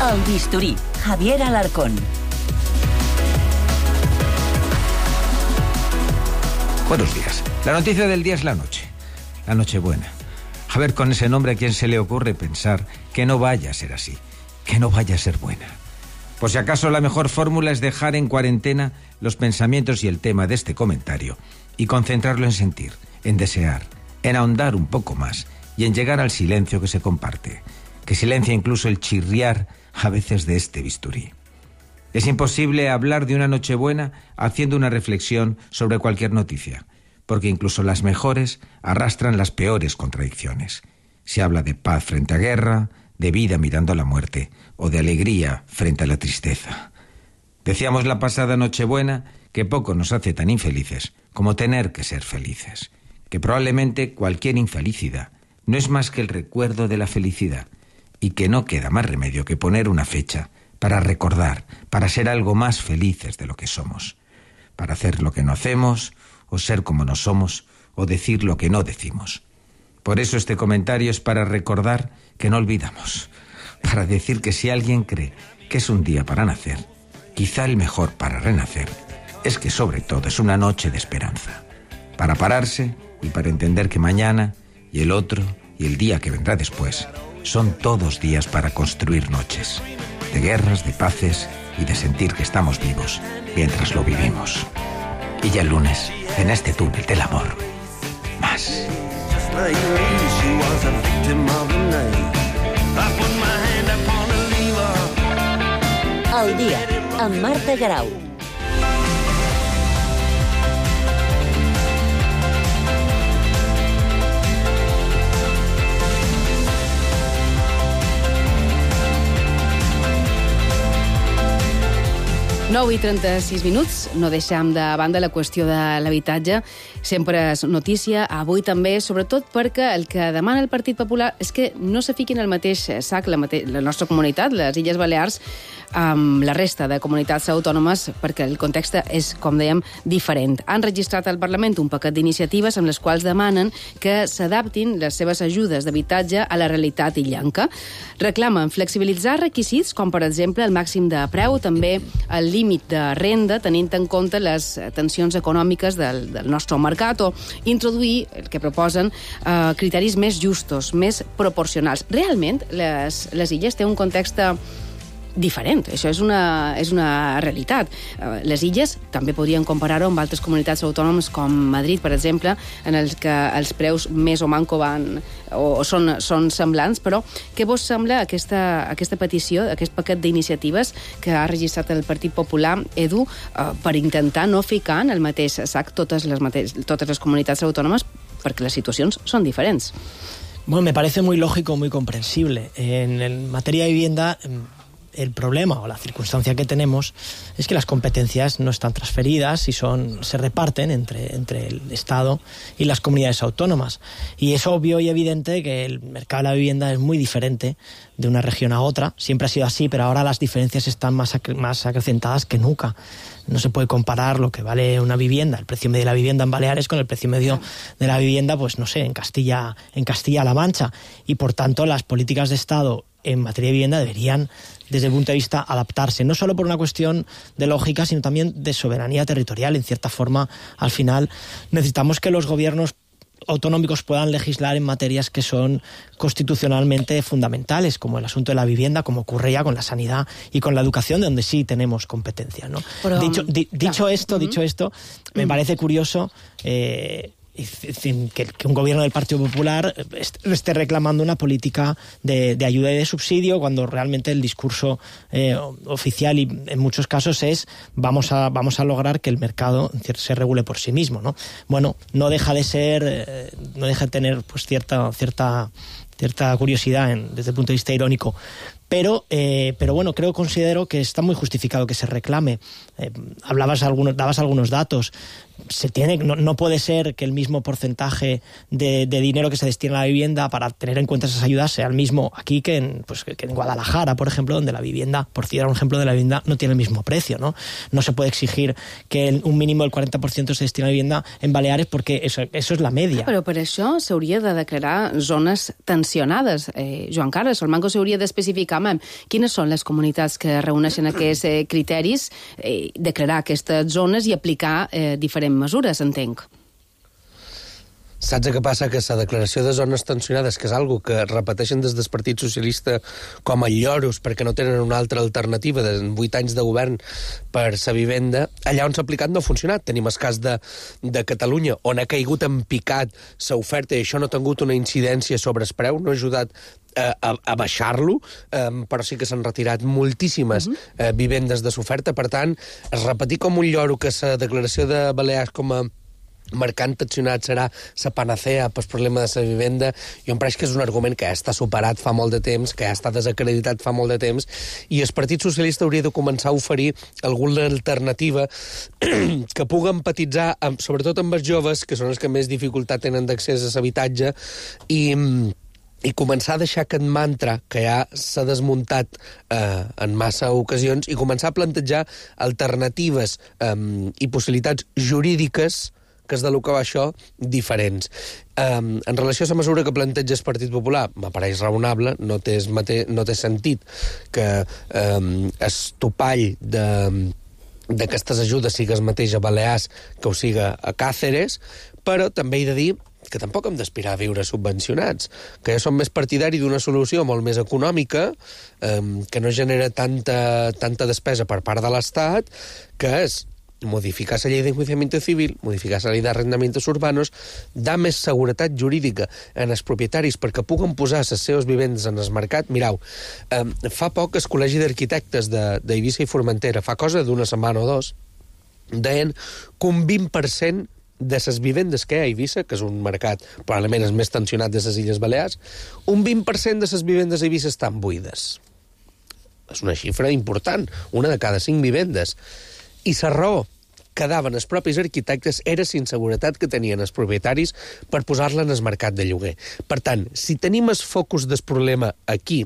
El bisturí, Javier Alarcón. Buenos días. La noticia del día es la noche. La Nochebuena. A ver, con ese nombre, ¿a quién se le ocurre pensar que no vaya a ser así? Que no vaya a ser buena. Por si acaso, la mejor fórmula es dejar en cuarentena los pensamientos y el tema de este comentario y concentrarlo en sentir, en desear, en ahondar un poco más y en llegar al silencio que se comparte, que silencia incluso el chirriar a veces de este bisturí. Es imposible hablar de una Nochebuena haciendo una reflexión sobre cualquier noticia, porque incluso las mejores arrastran las peores contradicciones. Se habla de paz frente a guerra, de vida mirando a la muerte, o de alegría frente a la tristeza. Decíamos la pasada Nochebuena que poco nos hace tan infelices como tener que ser felices, que probablemente cualquier infelicidad no es más que el recuerdo de la felicidad, y que no queda más remedio que poner una fecha para recordar, para ser algo más felices de lo que somos, para hacer lo que no hacemos, o ser como no somos, o decir lo que no decimos. Por eso este comentario es para recordar que no olvidamos, para decir que si alguien cree que es un día para nacer, quizá el mejor para renacer, es que sobre todo es una noche de esperanza, para pararse y para entender que mañana y el otro y el día que vendrá después son todos días para construir noches, de guerras, de paces y de sentir que estamos vivos mientras lo vivimos. Y ya el lunes, en este túnel del amor, más. Al dia, amb Marta Grau. Nou i 36 minuts, no deixem de banda la qüestió de l'habitatge. Sempre és notícia, avui també, sobretot perquè el que demana el Partit Popular és que no se fiquin al mateix sac la nostra comunitat, les Illes Balears, amb la resta de comunitats autònomes, perquè el context és, com dèiem, diferent. Han registrat al Parlament un paquet d'iniciatives amb les quals demanen que s'adaptin les seves ajudes d'habitatge a la realitat illenca. Reclamen flexibilitzar requisits, com per exemple el màxim de preu, també el límit de renda, tenint en compte les tensions econòmiques del nostre mercat, o introduir, el que proposen, criteris més justos, més proporcionals. Realment, les illes tenen un context diferent. Això és una realitat. Les illes també podrien comparar-ho amb altres comunitats autònomes com Madrid, per exemple, en els que els preus més o manco van o són semblants, però què vos sembla aquesta petició, aquest paquet d'iniciatives que ha registrat el Partit Popular, Edu, per intentar no ficar en el mateix sac totes les comunitats autònomes, perquè les situacions són diferents? Bueno, me parece muy lógico, muy comprensible. En materia de vivienda, el problema o la circunstancia que tenemos es que las competencias no están transferidas y se reparten entre el Estado y las comunidades autónomas. Y es obvio y evidente que el mercado de la vivienda es muy diferente de una región a otra. Siempre ha sido así, pero ahora las diferencias están más acrecentadas que nunca. No se puede comparar lo que vale una vivienda, el precio medio de la vivienda en Baleares, con el precio medio de la vivienda, pues no sé, en Castilla-La Mancha. Y por tanto, las políticas de Estado en materia de vivienda deberían, desde el punto de vista, adaptarse, no solo por una cuestión de lógica, sino también de soberanía territorial. En cierta forma, al final, necesitamos que los gobiernos autonómicos puedan legislar en materias que son constitucionalmente fundamentales, como el asunto de la vivienda, como ocurre ya con la sanidad y con la educación, donde sí tenemos competencia, ¿no? Pero, dicho esto, me parece curioso que un gobierno del Partido Popular esté reclamando una política de ayuda y de subsidio, cuando realmente el discurso oficial, y en muchos casos, es vamos a lograr que el mercado se regule por sí mismo, ¿no? Bueno, no deja de tener pues cierta curiosidad desde el punto de vista irónico. Pero bueno, considero que está muy justificado que se reclame. Dabas algunos datos. No puede ser que el mismo porcentaje de dinero que se destina a la vivienda para tener en cuenta esas ayudas sea el mismo aquí que en Guadalajara, por ejemplo, donde la vivienda, por citar un ejemplo de la vivienda, no tiene el mismo precio, ¿no? No se puede exigir que un mínimo del 40% se destine a la vivienda en Baleares, porque eso es la media. Però per això s'hauria de declarar zones tensionades. Joan Carles, el Manco s'hauria d'especificar quines són les comunitats que reuneixen aquests criteris, declarar aquestes zones i aplicar diferents mesures, entenc. Saps què passa? Que la declaració de zones tensionades, que és algo que repeteixen des del Partit Socialista com a lloros perquè no tenen una altra alternativa de 8 anys de govern per la vivenda, allà on s'ha aplicat no ha funcionat. Tenim el cas de Catalunya, on ha caigut en picat l'oferta i això no ha tingut una incidència sobre el preu, no ha ajudat a baixar-lo, però sí que s'han retirat moltíssimes vivendes de l'oferta. Per tant, es repetir com un lloro que la declaració de Balears com a mercat tensionat serà la panacea pel problema de la vivenda, jo em pareix que és un argument que ja està superat fa molt de temps, que ja està desacreditat fa molt de temps, i el Partit Socialista hauria de començar a oferir alguna alternativa que pugui empatitzar, sobretot amb els joves, que són els que més dificultat tenen d'accés a l'habitatge, i començar a deixar aquest mantra que ja s'ha desmuntat en massa ocasions i començar a plantejar alternatives i possibilitats jurídiques, que és de lo que va això, diferents. En relació a la mesura que planteja el Partit Popular, m'apareix raonable, no té sentit que el topall d'aquestes ajudes sigui el mateix a Balears que ho siga a Càceres, però també he de dir que tampoc hem d'aspirar a viure subvencionats, que ja som més partidari d'una solució molt més econòmica, que no genera tanta despesa per part de l'Estat, que és modificar la llei d'enjuiciamiento civil, modificar la llei d'arrendamientos urbanos, dar més seguretat jurídica en els propietaris perquè puguen posar les seves vivendes en el mercat. Mireu, fa poc el Col·legi d'Arquitectes d'Eivissa i Formentera, fa cosa d'una setmana o dos, deien que un 20% de les vivendes que hi ha a Eivissa, que és un mercat probablement el més tensionat de les Illes Balears, un 20% de les vivendes a Eivissa estan buides. És una xifra important, una de cada 5 vivendes. I la raó que daven els propis arquitectes era la inseguretat que tenien els propietaris per posar-la en el mercat de lloguer. Per tant, si tenim el focus del problema aquí,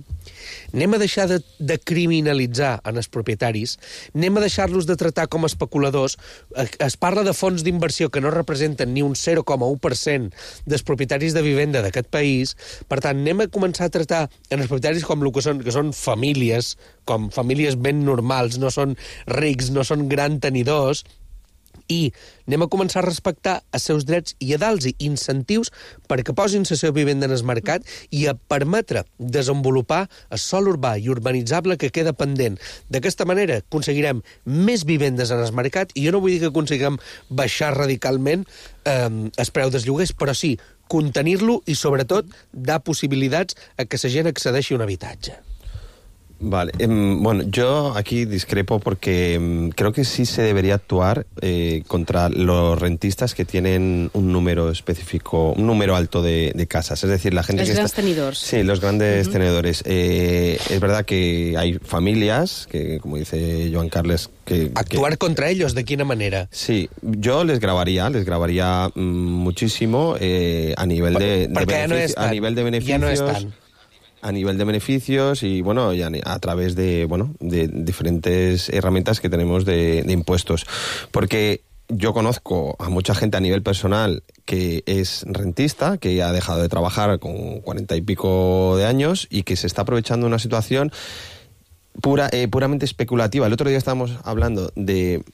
anem a deixar de criminalitzar en els propietaris, anem a deixar-los de tractar com a especuladors. Es parla de fons d'inversió que no representen ni un 0,1% dels propietaris de vivenda d'aquest país. Per tant, anem a començar a tractar en els propietaris com el que són famílies, com famílies ben normals, no són rics, no són grans tenidors, i anem a començar a respectar els seus drets i a dar-los incentius perquè posin la seva vivenda en el mercat i a permetre desenvolupar el sòl urbà i urbanitzable que queda pendent. D'aquesta manera aconseguirem més vivendes en el mercat i jo no vull dir que aconseguirem baixar radicalment el preu dels lloguers, però sí contenir-lo i sobretot dar possibilitats a que la gent accedeixi a un habitatge. Vale, bueno, yo aquí discrepo porque creo que sí se debería actuar contra los rentistas que tienen un número específico, un número alto de casas. Es decir, la gente los que grandes tenedores. Sí, los grandes tenedores. Es verdad que hay familias que, como dice Joan Carles, actuar contra ellos, ¿de qué manera? Sí, yo les grabaría muchísimo a nivel de beneficios. A nivel de beneficios. Ya no están. A nivel de beneficios y, bueno, ya a través de diferentes herramientas que tenemos de impuestos. Porque yo conozco a mucha gente a nivel personal que es rentista, que ha dejado de trabajar con 40 y pico de años y que se está aprovechando una situación puramente especulativa. El otro día estábamos hablando de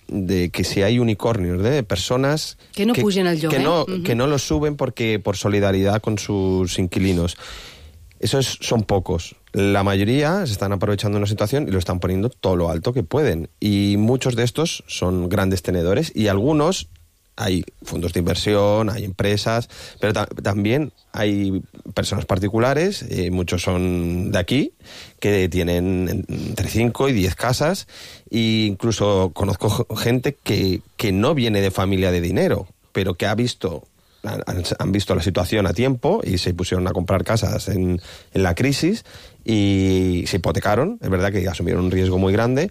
que si hay unicornios de personas que no pugen al lloguer, que no lo suben porque por solidaridad con sus inquilinos. Esos son pocos. La mayoría se están aprovechando de una situación y lo están poniendo todo lo alto que pueden. Y muchos de estos son grandes tenedores y algunos hay fondos de inversión, hay empresas, pero también hay personas particulares, muchos son de aquí, que tienen entre 5 y 10 casas, e incluso conozco gente que no viene de familia de dinero, pero que han visto la situación a tiempo y se pusieron a comprar casas en la crisis y se hipotecaron. Es verdad que asumieron un riesgo muy grande,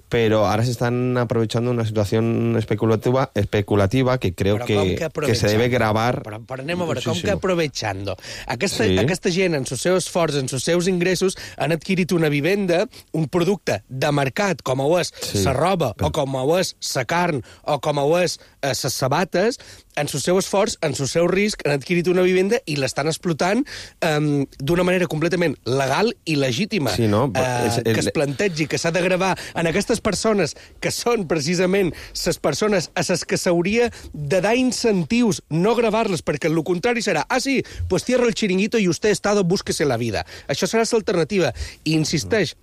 pero ahora se están aprovechando una situación especulativa que creo que se debe gravar. Però anem a veure, com que aprovechando? Aquesta gent, en els seus esforços, en els seus ingressos, han adquirit una vivenda, un producte de mercat, com ho és la roba, o com ho és la carn, o com ho és ses sabates, en el seu esforç, en el seu risc, han adquirit una vivenda i l'estan explotant d'una manera completament legal i legítima. Sí, no? Que es plantegi que s'ha de gravar en aquestes persones que són precisament les persones a les que s'hauria de dar incentius, no gravar-les, perquè el contrari serà, sí, pues cierra el chiringuito y usted estado, búsquese la vida. Això serà l'alternativa. I insisteix,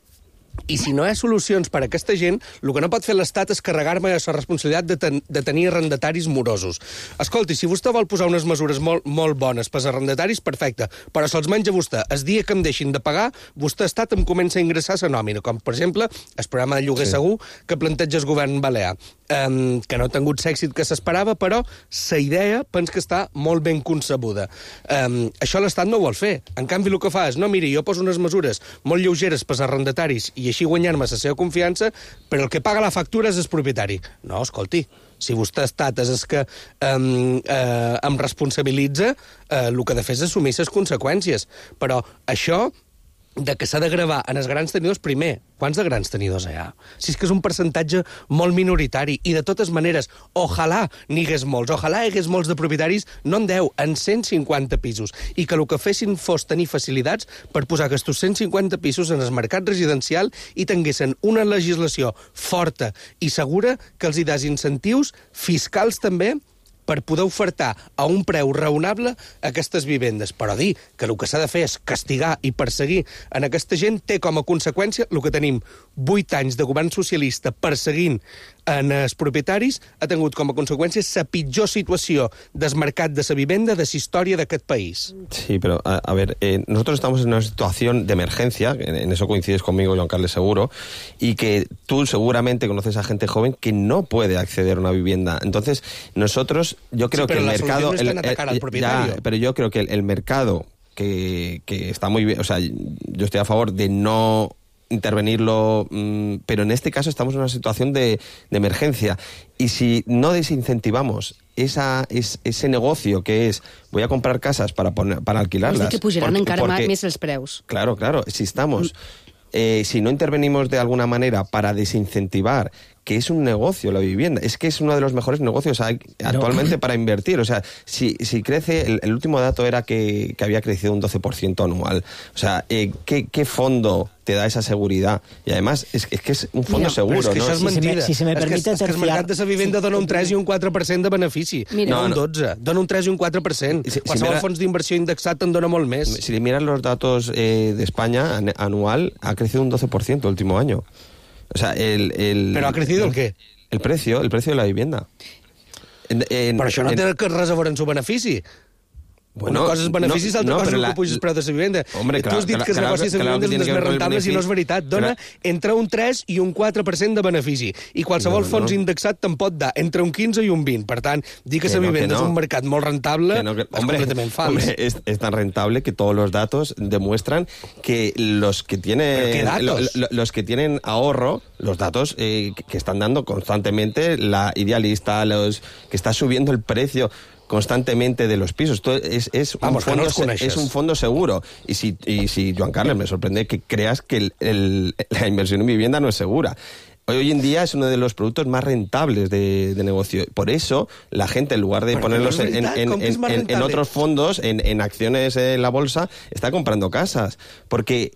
i si no hi ha solucions per a aquesta gent, el que no pot fer l'Estat és carregar-me la responsabilitat de tenir arrendataris morosos. Escolti, si vostè vol posar unes mesures molt bones per als arrendataris, perfecte, però se'ls menja vostè. El dia que em deixin de pagar, vostè Estat em comença a ingressar la nòmina, com per exemple el programa de lloguer segur que planteja el govern balear, que no ha tingut l'èxit que s'esperava, però la idea penso que està molt ben concebuda. Això l'Estat no ho vol fer. En canvi, el que fa és, no, miri, jo poso unes mesures molt lleugeres per als arrendataris i així guanyar-me la seva confiança, però el que paga la factura és el propietari. No, escolti, si vostè Estat és el que em responsabilitza, el que ha de fer és assumir les conseqüències. Però això de que s'ha de gravar en els grans tenidors, primer, quants de grans tenidors hi ha? Si és que és un percentatge molt minoritari, i de totes maneres, ojalà n'hi hagués molts, ojalà hi hagués molts de propietaris, no en 10, en 150 pisos, i que el que fessin fos tenir facilitats per posar aquests 150 pisos en el mercat residencial i tinguessin una legislació forta i segura que els hi des incentius fiscals també per poder ofertar a un preu raonable aquestes vivendes. Però dir que el que s'ha de fer és castigar i perseguir en aquesta gent té com a conseqüència el que tenim 8 anys de govern socialista perseguint en els propietaris, ha tingut com a conseqüència la pitjor situació del mercat de la vivenda de la història d'aquest país. Sí, pero a ver, nosotros estamos en una situación de emergencia, en eso coincides conmigo, Joan Carles, seguro, y que tú seguramente conoces a gente joven que no puede acceder a una vivienda. Entonces, nosotros, yo creo que el mercado... No están atacar al propietario. Pero yo creo que el mercado, que está muy bien, o sea, yo estoy a favor de no intervenirlo, pero en este caso estamos en una situación de emergencia, y si no desincentivamos ese negocio que es voy a comprar casas para alquilarlas... És que pujaran encara més els preus. Claro, si estamos... si no intervenimos de alguna manera para desincentivar que es un negocio la vivienda, es que es uno de los mejores negocios actualmente para invertir. O sea, si crece, el último dato era que había crecido un 12% anual. O sea, ¿qué fondo te da esa seguridad? Y además, es que es un fondo seguro, és que ¿no? això és mentida. Si se me permite és que el mercat de la vivenda dona un 3 i un 4% de benefici. No un 12, dona un 3 i un 4%. Qualsevol fons d'inversió indexat en dona molt més. Si miras los datos de España, anual, ha crecido un 12% el último año. O sea, ¿Pero ha crecido el qué? El precio de la vivienda. Però això no té res a veure en su benefici. Una cosa és beneficis, altra cosa és el que puja el preu de la vivenda. Hombre, tu has dit que els negocis de vivenda són dels més rentables i no és veritat. Dona entre un 3 i un 4% de benefici. I qualsevol fons indexat te'n pot dar entre un 15 i un 20. Per tant, dir que la vivenda és un mercat molt rentable és completament fals. Hombre, es tan rentable que todos los datos demuestran que los que tienen ahorro, los datos que están dando constantemente la Idealista, los que está subiendo el precio constantemente de los pisos. Esto es un fondo seguro. Y si Joan Carles, me sorprende que creas que la inversión en vivienda no es segura. Hoy en día es uno de los productos más rentables de negocio. Por eso, la gente, en lugar de ponerlos en otros fondos, en acciones en la bolsa, está comprando casas. Porque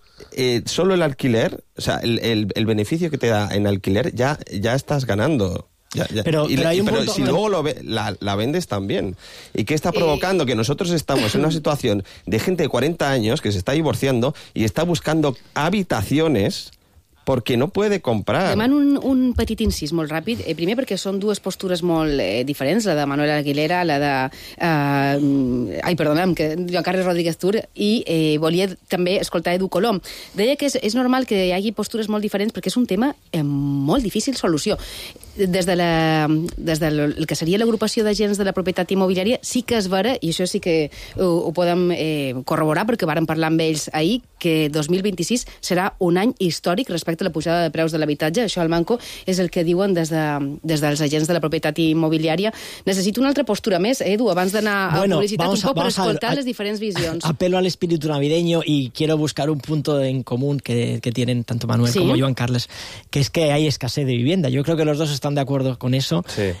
solo el alquiler, o sea, el beneficio que te da en alquiler, ya estás ganando. Pero si luego la vendes también. ¿Y qué está provocando? Que nosotros estamos en una situación de gente de 40 años que se está divorciando y está buscando habitaciones perquè no puede comprar. Demano un petit incís molt ràpid. Primer perquè són dues postures molt diferents, la de Manuel Aguilera, la de... que Joan Carles Rodríguez Tur, i volia també escoltar Edu Colom. Deia que és normal que hi hagi postures molt diferents perquè és un tema amb molt difícil solució. Des del que seria l'agrupació d'agents de la propietat immobiliària sí que és vera, i això sí que ho podem corroborar perquè vàrem parlar amb ells ahir, que 2026 serà un any històric respecte a la pujada de preus de l'habitatge. Això al Manco és el que diuen des dels agents de la propietat immobiliària. Necessito una altra postura més, Edu, abans d'anar a publicitat un poc per escoltar les diferents visions. Apelo al espíritu navideño y quiero buscar un punto en común que tienen tanto Manuel como Joan Carles, que es que hay escasez de vivienda. Yo creo que los dos estamos están de acuerdo con eso. Sí.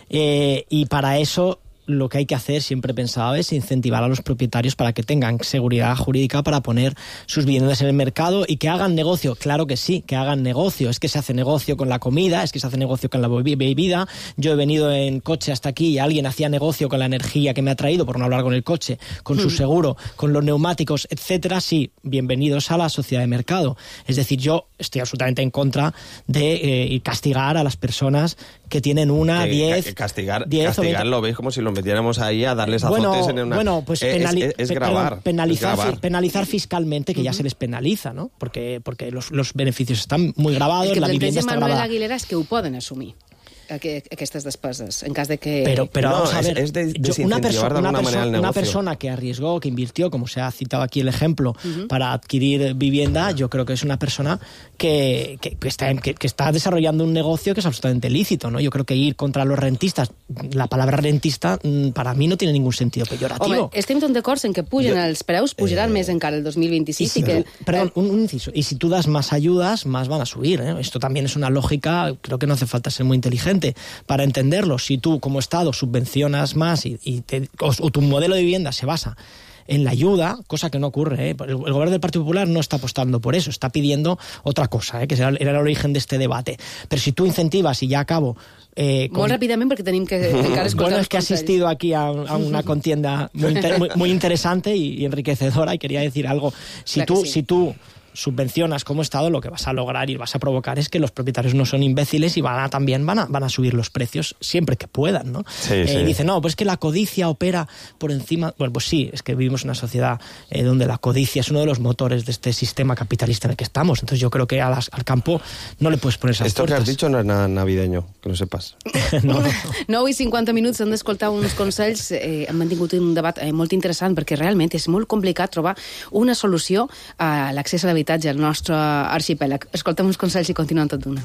Y para eso lo que hay que hacer, siempre he pensado, es incentivar a los propietarios para que tengan seguridad jurídica para poner sus viviendas en el mercado y que hagan negocio. Claro que sí, que hagan negocio. Es que se hace negocio con la comida, es que se hace negocio con la bebida. Yo he venido en coche hasta aquí y alguien hacía negocio con la energía que me ha traído, por no hablar con el coche, con su seguro, con los neumáticos, etcétera. Sí, bienvenidos a la sociedad de mercado. Es decir, yo estoy absolutamente en contra de castigar a las personas que tienen 10... Castigarlo, ¿veis? Como si lo metiéramos ahí a darles azotes en una... Bueno, pues es grabar. Penalizar fiscalmente, que ya se les penaliza, ¿no? Porque los beneficios están muy grabados, la vivienda está grabada. Manuel Aguilera és que ho poden assumir, aquestes despeses, en cas de que... Pero vamos a ver, una persona que arriesgó, que invirtió, como se ha citado aquí el ejemplo, para adquirir vivienda, yo creo que es una persona que está desarrollando un negocio que es absolutamente lícito, ¿no? Yo creo que ir contra los rentistas, la palabra rentista, para mí no tiene ningún sentido peyorativo. Home, estem tot d'acord en que pugen els preus, pujaran més encara el 2026. Perdón, un inciso. Y si tú das más ayudas, más van a subir, ¿eh? Esto también es una lógica, creo que no hace falta ser muy inteligente para entenderlo. Si tú como Estado subvencionas más o tu modelo de vivienda se basa en la ayuda, cosa que no ocurre, ¿eh? El gobierno del Partido Popular no está apostando por eso, está pidiendo otra cosa, que era el origen de este debate. Pero si tú incentivas, y ya acabo... Molt ràpidament, perquè tenim que encara escoltar. Bueno, es que he asistido aquí a una contienda muy interesante y enriquecedora, y quería decir algo. Si tú subvencionas como Estado, lo que vas a lograr y vas a provocar es que los propietarios no son imbéciles y van a subir los precios siempre que puedan, ¿no? Sí. Dice, no, pues es que la codicia opera por encima... Bueno, pues sí, es que vivimos en una sociedad donde la codicia es uno de los motores de este sistema capitalista en el que estamos. Entonces yo creo que al campo no le puedes poner esas Esto puertas. que has dicho no es nada navideño, que lo sepas. No. 9 i 50 minuts, hem d'escoltar uns consells. Hem mantingut un debat molt interessant, perquè realment és molt complicat trobar una solució a l'accés a l'habitatge al nostre arxipèlag. Escoltem uns consells i continuem tot d'una.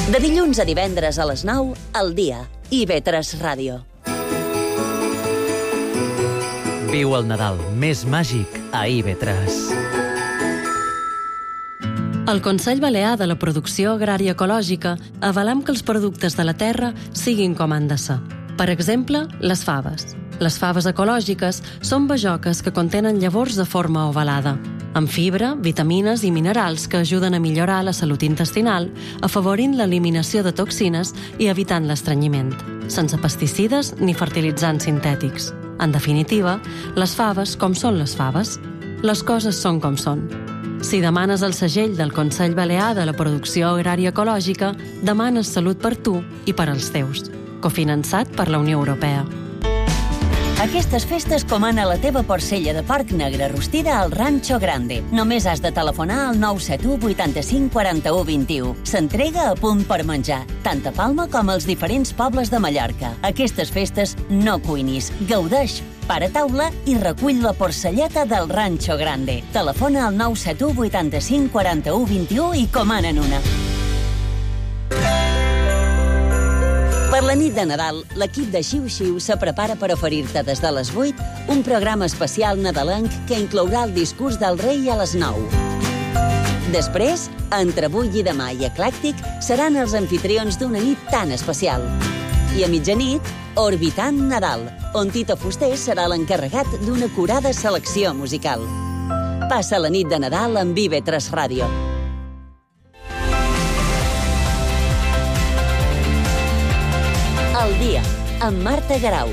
De dilluns a divendres a les 9, al dia. IB3 Ràdio. Viu el Nadal més màgic a IB3. Al Consell Balear de la Producció Agrària Ecològica avalem que els productes de la terra siguin com han de ser. Per exemple, les faves. Les faves ecològiques són bajoques que contenen llavors de forma ovalada, amb fibra, vitamines i minerals que ajuden a millorar la salut intestinal, afavorint l'eliminació de toxines i evitant l'estrenyiment, sense pesticides ni fertilitzants sintètics. En definitiva, les faves com són les faves. Les coses són com són. Si demanes el segell del Consell Balear de la Producció Agrària Ecològica, demanes salut per tu i per als teus. Cofinançat per la Unió Europea. Aquestes festes comana la teva porcella de porc negre rostida al Rancho Grande. Només has de telefonar al 971 85 41 21. S'entrega a punt per menjar, tant a Palma com als diferents pobles de Mallorca. Aquestes festes no cuinis, gaudeix, para taula i recull la porcelleta del Rancho Grande. Telefona al 971 85 41 21 i comanen una. Per la nit de Nadal, l'equip de Xiu-Xiu se prepara per oferir-te des de les 8 un programa especial nadalenc que inclourà el discurs del rei a les 9. Després, entre avui i demà i Eclèctic, seran els anfitrions d'una nit tan especial. I a mitjanit, Orbitant Nadal, on Tito Fuster serà l'encarregat d'una acurada selecció musical. Passa la nit de Nadal amb IB3 Ràdio. El dia, amb Marta Garau.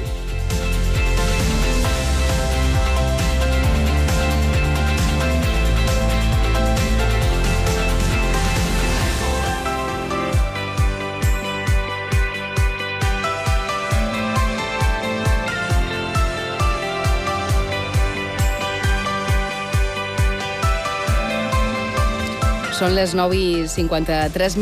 Són les 9:53.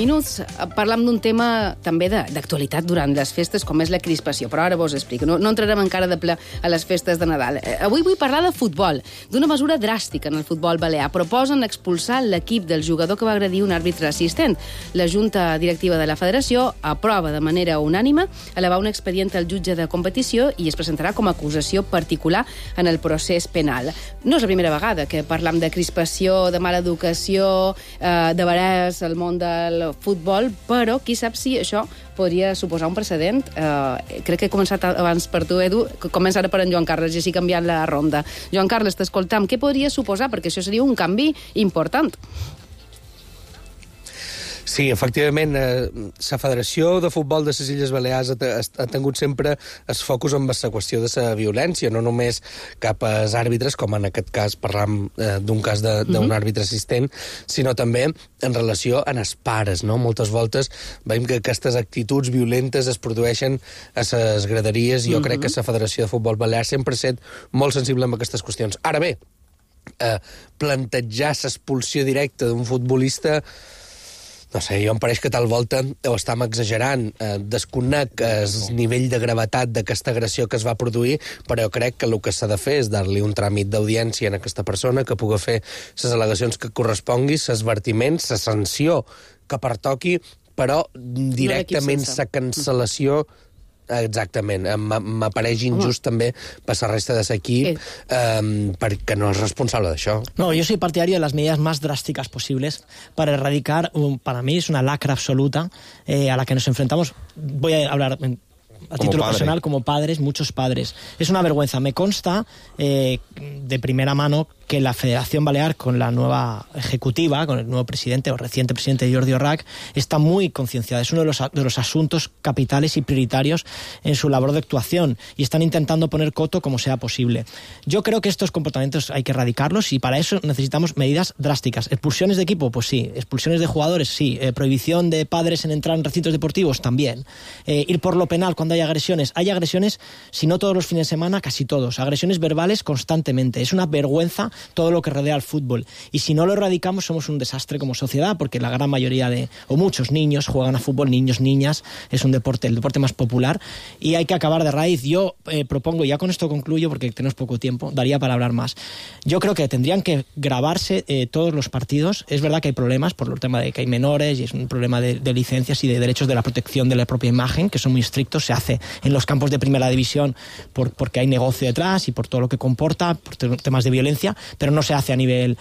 Parlam d'un tema també d'actualitat durant les festes, com és la crispació, però ara vos explico. No entrarem encara de ple a les festes de Nadal. Avui vull parlar de futbol, d'una mesura dràstica en el futbol balear. Proposen expulsar l'equip del jugador que va agredir un àrbitre assistent. La Junta Directiva de la Federació aprova de manera unànime elevar un expedient al jutge de competició i es presentarà com a acusació particular en el procés penal. No és la primera vegada que parlam de crispació, de mala educació, de veres al món del futbol, però qui sap si això podria suposar un precedent. Crec que he començat abans per tu, Edu, que comença ara per en Joan Carles i així canviant la ronda. Joan Carles, t'escoltam. Què podria suposar? Perquè això seria un canvi important. Sí, efectivament, la Federació de Futbol de les Illes Balears ha tingut sempre el focus en la qüestió de la violència, no només cap als àrbitres, com en aquest cas parlam d'un cas d'un àrbitre assistent, sinó també en relació a els pares, no? Moltes voltes veiem que aquestes actituds violentes es produeixen a les graderies i jo crec que la Federació de Futbol Balear sempre ha estat molt sensible amb aquestes qüestions. Ara bé, plantejar l'expulsió directa d'un futbolista, no sé, jo em pareix que tal volta ho estem exagerant. Desconec el nivell de gravetat d'aquesta agressió que es va produir, però jo crec que el que s'ha de fer és dar-li un tràmit d'audiència a aquesta persona que pugui fer les al·legacions que correspongui, l'advertiment, la sanció que pertoqui, però directament la cancel·lació. Exactament. M'apareix injust també per la resta de l'equip perquè no és responsable d'això. No, yo soy partidario de las medidas más drásticas posibles para erradicar, para mí es una lacra absoluta a la que nos enfrentamos. Voy a hablar a título personal, como padres, muchos padres. Es una vergüenza. Me consta de primera mano que la Federación Balear, con la nueva ejecutiva, con el nuevo presidente o reciente presidente Jordi Orrac, está muy concienciada. Es uno de los asuntos capitales y prioritarios en su labor de actuación y están intentando poner coto como sea posible. Yo creo que estos comportamientos hay que erradicarlos y para eso necesitamos medidas drásticas. ¿Expulsiones de equipo? Pues sí. ¿Expulsiones de jugadores? Sí. ¿Prohibición de padres en entrar en recintos deportivos? También. Ir por lo penal cuando hay agresiones. Hay agresiones, si no todos los fines de semana, casi todos. Agresiones verbales constantemente. Es una vergüenza todo lo que rodea al fútbol. Y si no lo erradicamos, somos un desastre como sociedad, porque la gran mayoría o muchos niños juegan a fútbol, niños, niñas, es el deporte más popular, y hay que acabar de raíz. Yo propongo, ya con esto concluyo, porque tenemos poco tiempo, daría para hablar más. Yo creo que tendrían que grabarse todos los partidos. Es verdad que hay problemas por el tema de que hay menores, y es un problema de licencias y de derechos de la protección de la propia imagen, que son muy estrictos. Se hace en los campos de primera división porque hay negocio detrás y por todo lo que comporta, por temas de violencia, pero no se hace a nivel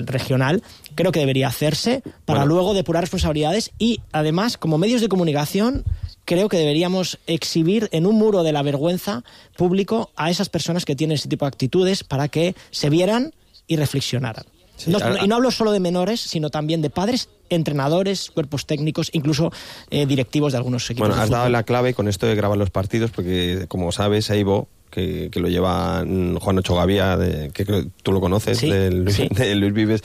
regional. Creo que debería hacerse para luego depurar responsabilidades y, además, como medios de comunicación, creo que deberíamos exhibir en un muro de la vergüenza público a esas personas que tienen ese tipo de actitudes para que se vieran y reflexionaran. Sí, y no hablo solo de menores, sino también de padres, entrenadores, cuerpos técnicos, incluso directivos de algunos equipos. Bueno, has dado la clave con esto de grabar los partidos, porque, como sabes, Eibo, que lo lleva Juan Ocho Gavia, que tú lo conoces, sí, de Luis Vives,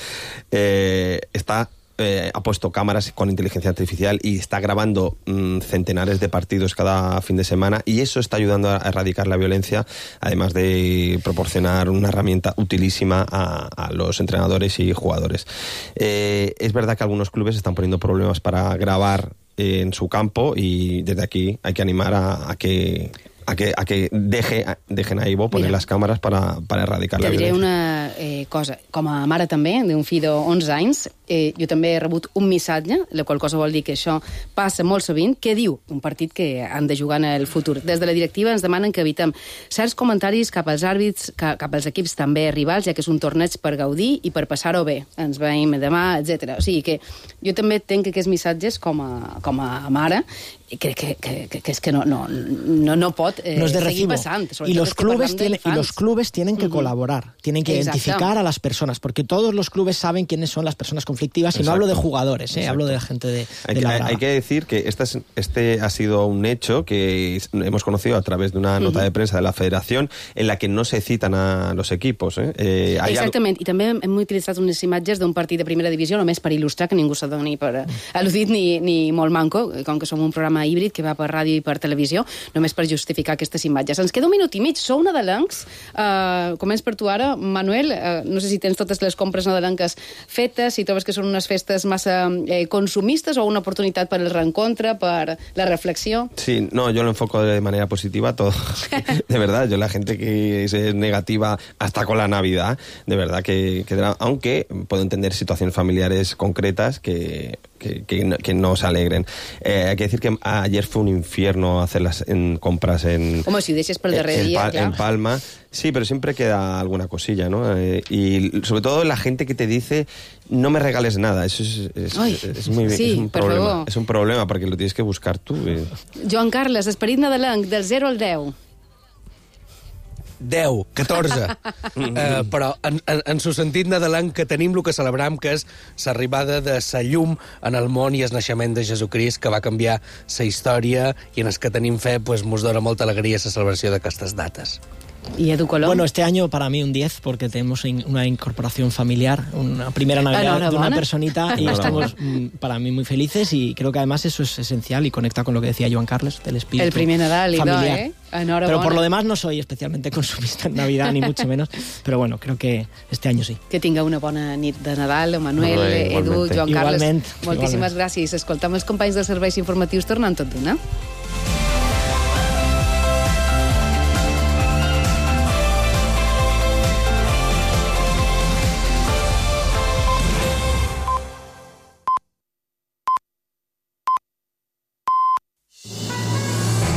ha puesto cámaras con inteligencia artificial y está grabando centenares de partidos cada fin de semana, y eso está ayudando a erradicar la violencia, además de proporcionar una herramienta utilísima a los entrenadores y jugadores. Es verdad que algunos clubes están poniendo problemas para grabar en su campo, y desde aquí hay que animar a que dejen a Ivo poner les càmeres per erradicar la violència. Te diré una cosa. Com a mare també, d'un fill d'11 anys, jo també he rebut un missatge, la qual cosa vol dir que això passa molt sovint, que diu un partit que han de jugar en el futur. Des de la directiva ens demanen que evitem certs comentaris cap als àrbits, cap als equips també rivals, ja que és un torneig per gaudir i per passar-ho bé. Ens veiem demà, etc. O sigui que jo també tenc aquests missatges com a mare, i crec que és que no pot seguir passant. Y los clubes tienen que colaborar, tienen que identificar a las personas, porque todos los clubes saben quiénes son las personas conflictivas, y no hablo de jugadores, hablo de la gente de la grada. Hay que decir que este ha sido un hecho que hemos conocido a través de una nota de prensa de la Federación, en la que no se citan a los equipos. Exactament, i també hem utilitzat unes imatges d'un partit de primera divisió només per il·lustrar, que ningú s'adoni per al·ludit ni molt manco, com que som un programa programa híbrid que va per ràdio i per televisió, només per justificar aquestes imatges. Ens queda un minut i mig, sou nadalencs. Començ per tu ara. Manuel, no sé si tens totes les compres nadalenques fetes, si trobes que són unes festes massa consumistes o una oportunitat per el reencontre, per la reflexió. Sí, no, yo lo enfoco de manera positiva todo. De verdad, yo la gente que es negativa hasta con la Navidad, de verdad que aunque puedo entender situaciones familiares concretas que no se alegren. Hay que decir que ayer fue un infierno hacer las compras en... Home, si ho deixes pel darrer dia, clar. En Palma. Sí, pero siempre queda alguna cosilla, ¿no? Y sobre todo la gente que te dice no me regales nada. Eso es un problema. Es un problema porque lo tienes que buscar tú. Joan Carles, esperit nadalenc, del 0 al 10. 10, 14. Però en su sentit nadalenc que tenim el que celebram, que és l'arribada de sa llum en el món i el naixement de Jesucrist, que va canviar sa història i en els que tenim fe pues, mos dona molta alegria la celebració d'aquestes dates. ¿Y Edu Colón? Bueno, este año para mí un 10 porque tenemos una incorporación familiar, una primera Navidad de una personita y estamos para mí muy felices y creo que además eso es esencial y conecta con lo que decía Joan Carles del espíritu el primer Nadal familiar. Enhorabona. Pero por lo demás no soy especialmente consumista en Navidad ni mucho menos, pero bueno, creo que este año sí. Que tinga una bona nit de Nadal, Manuel, Edu, Joan Carles. Moltíssimes gràcies. Escoltam els companys dels serveis informatius tornant tot d'una.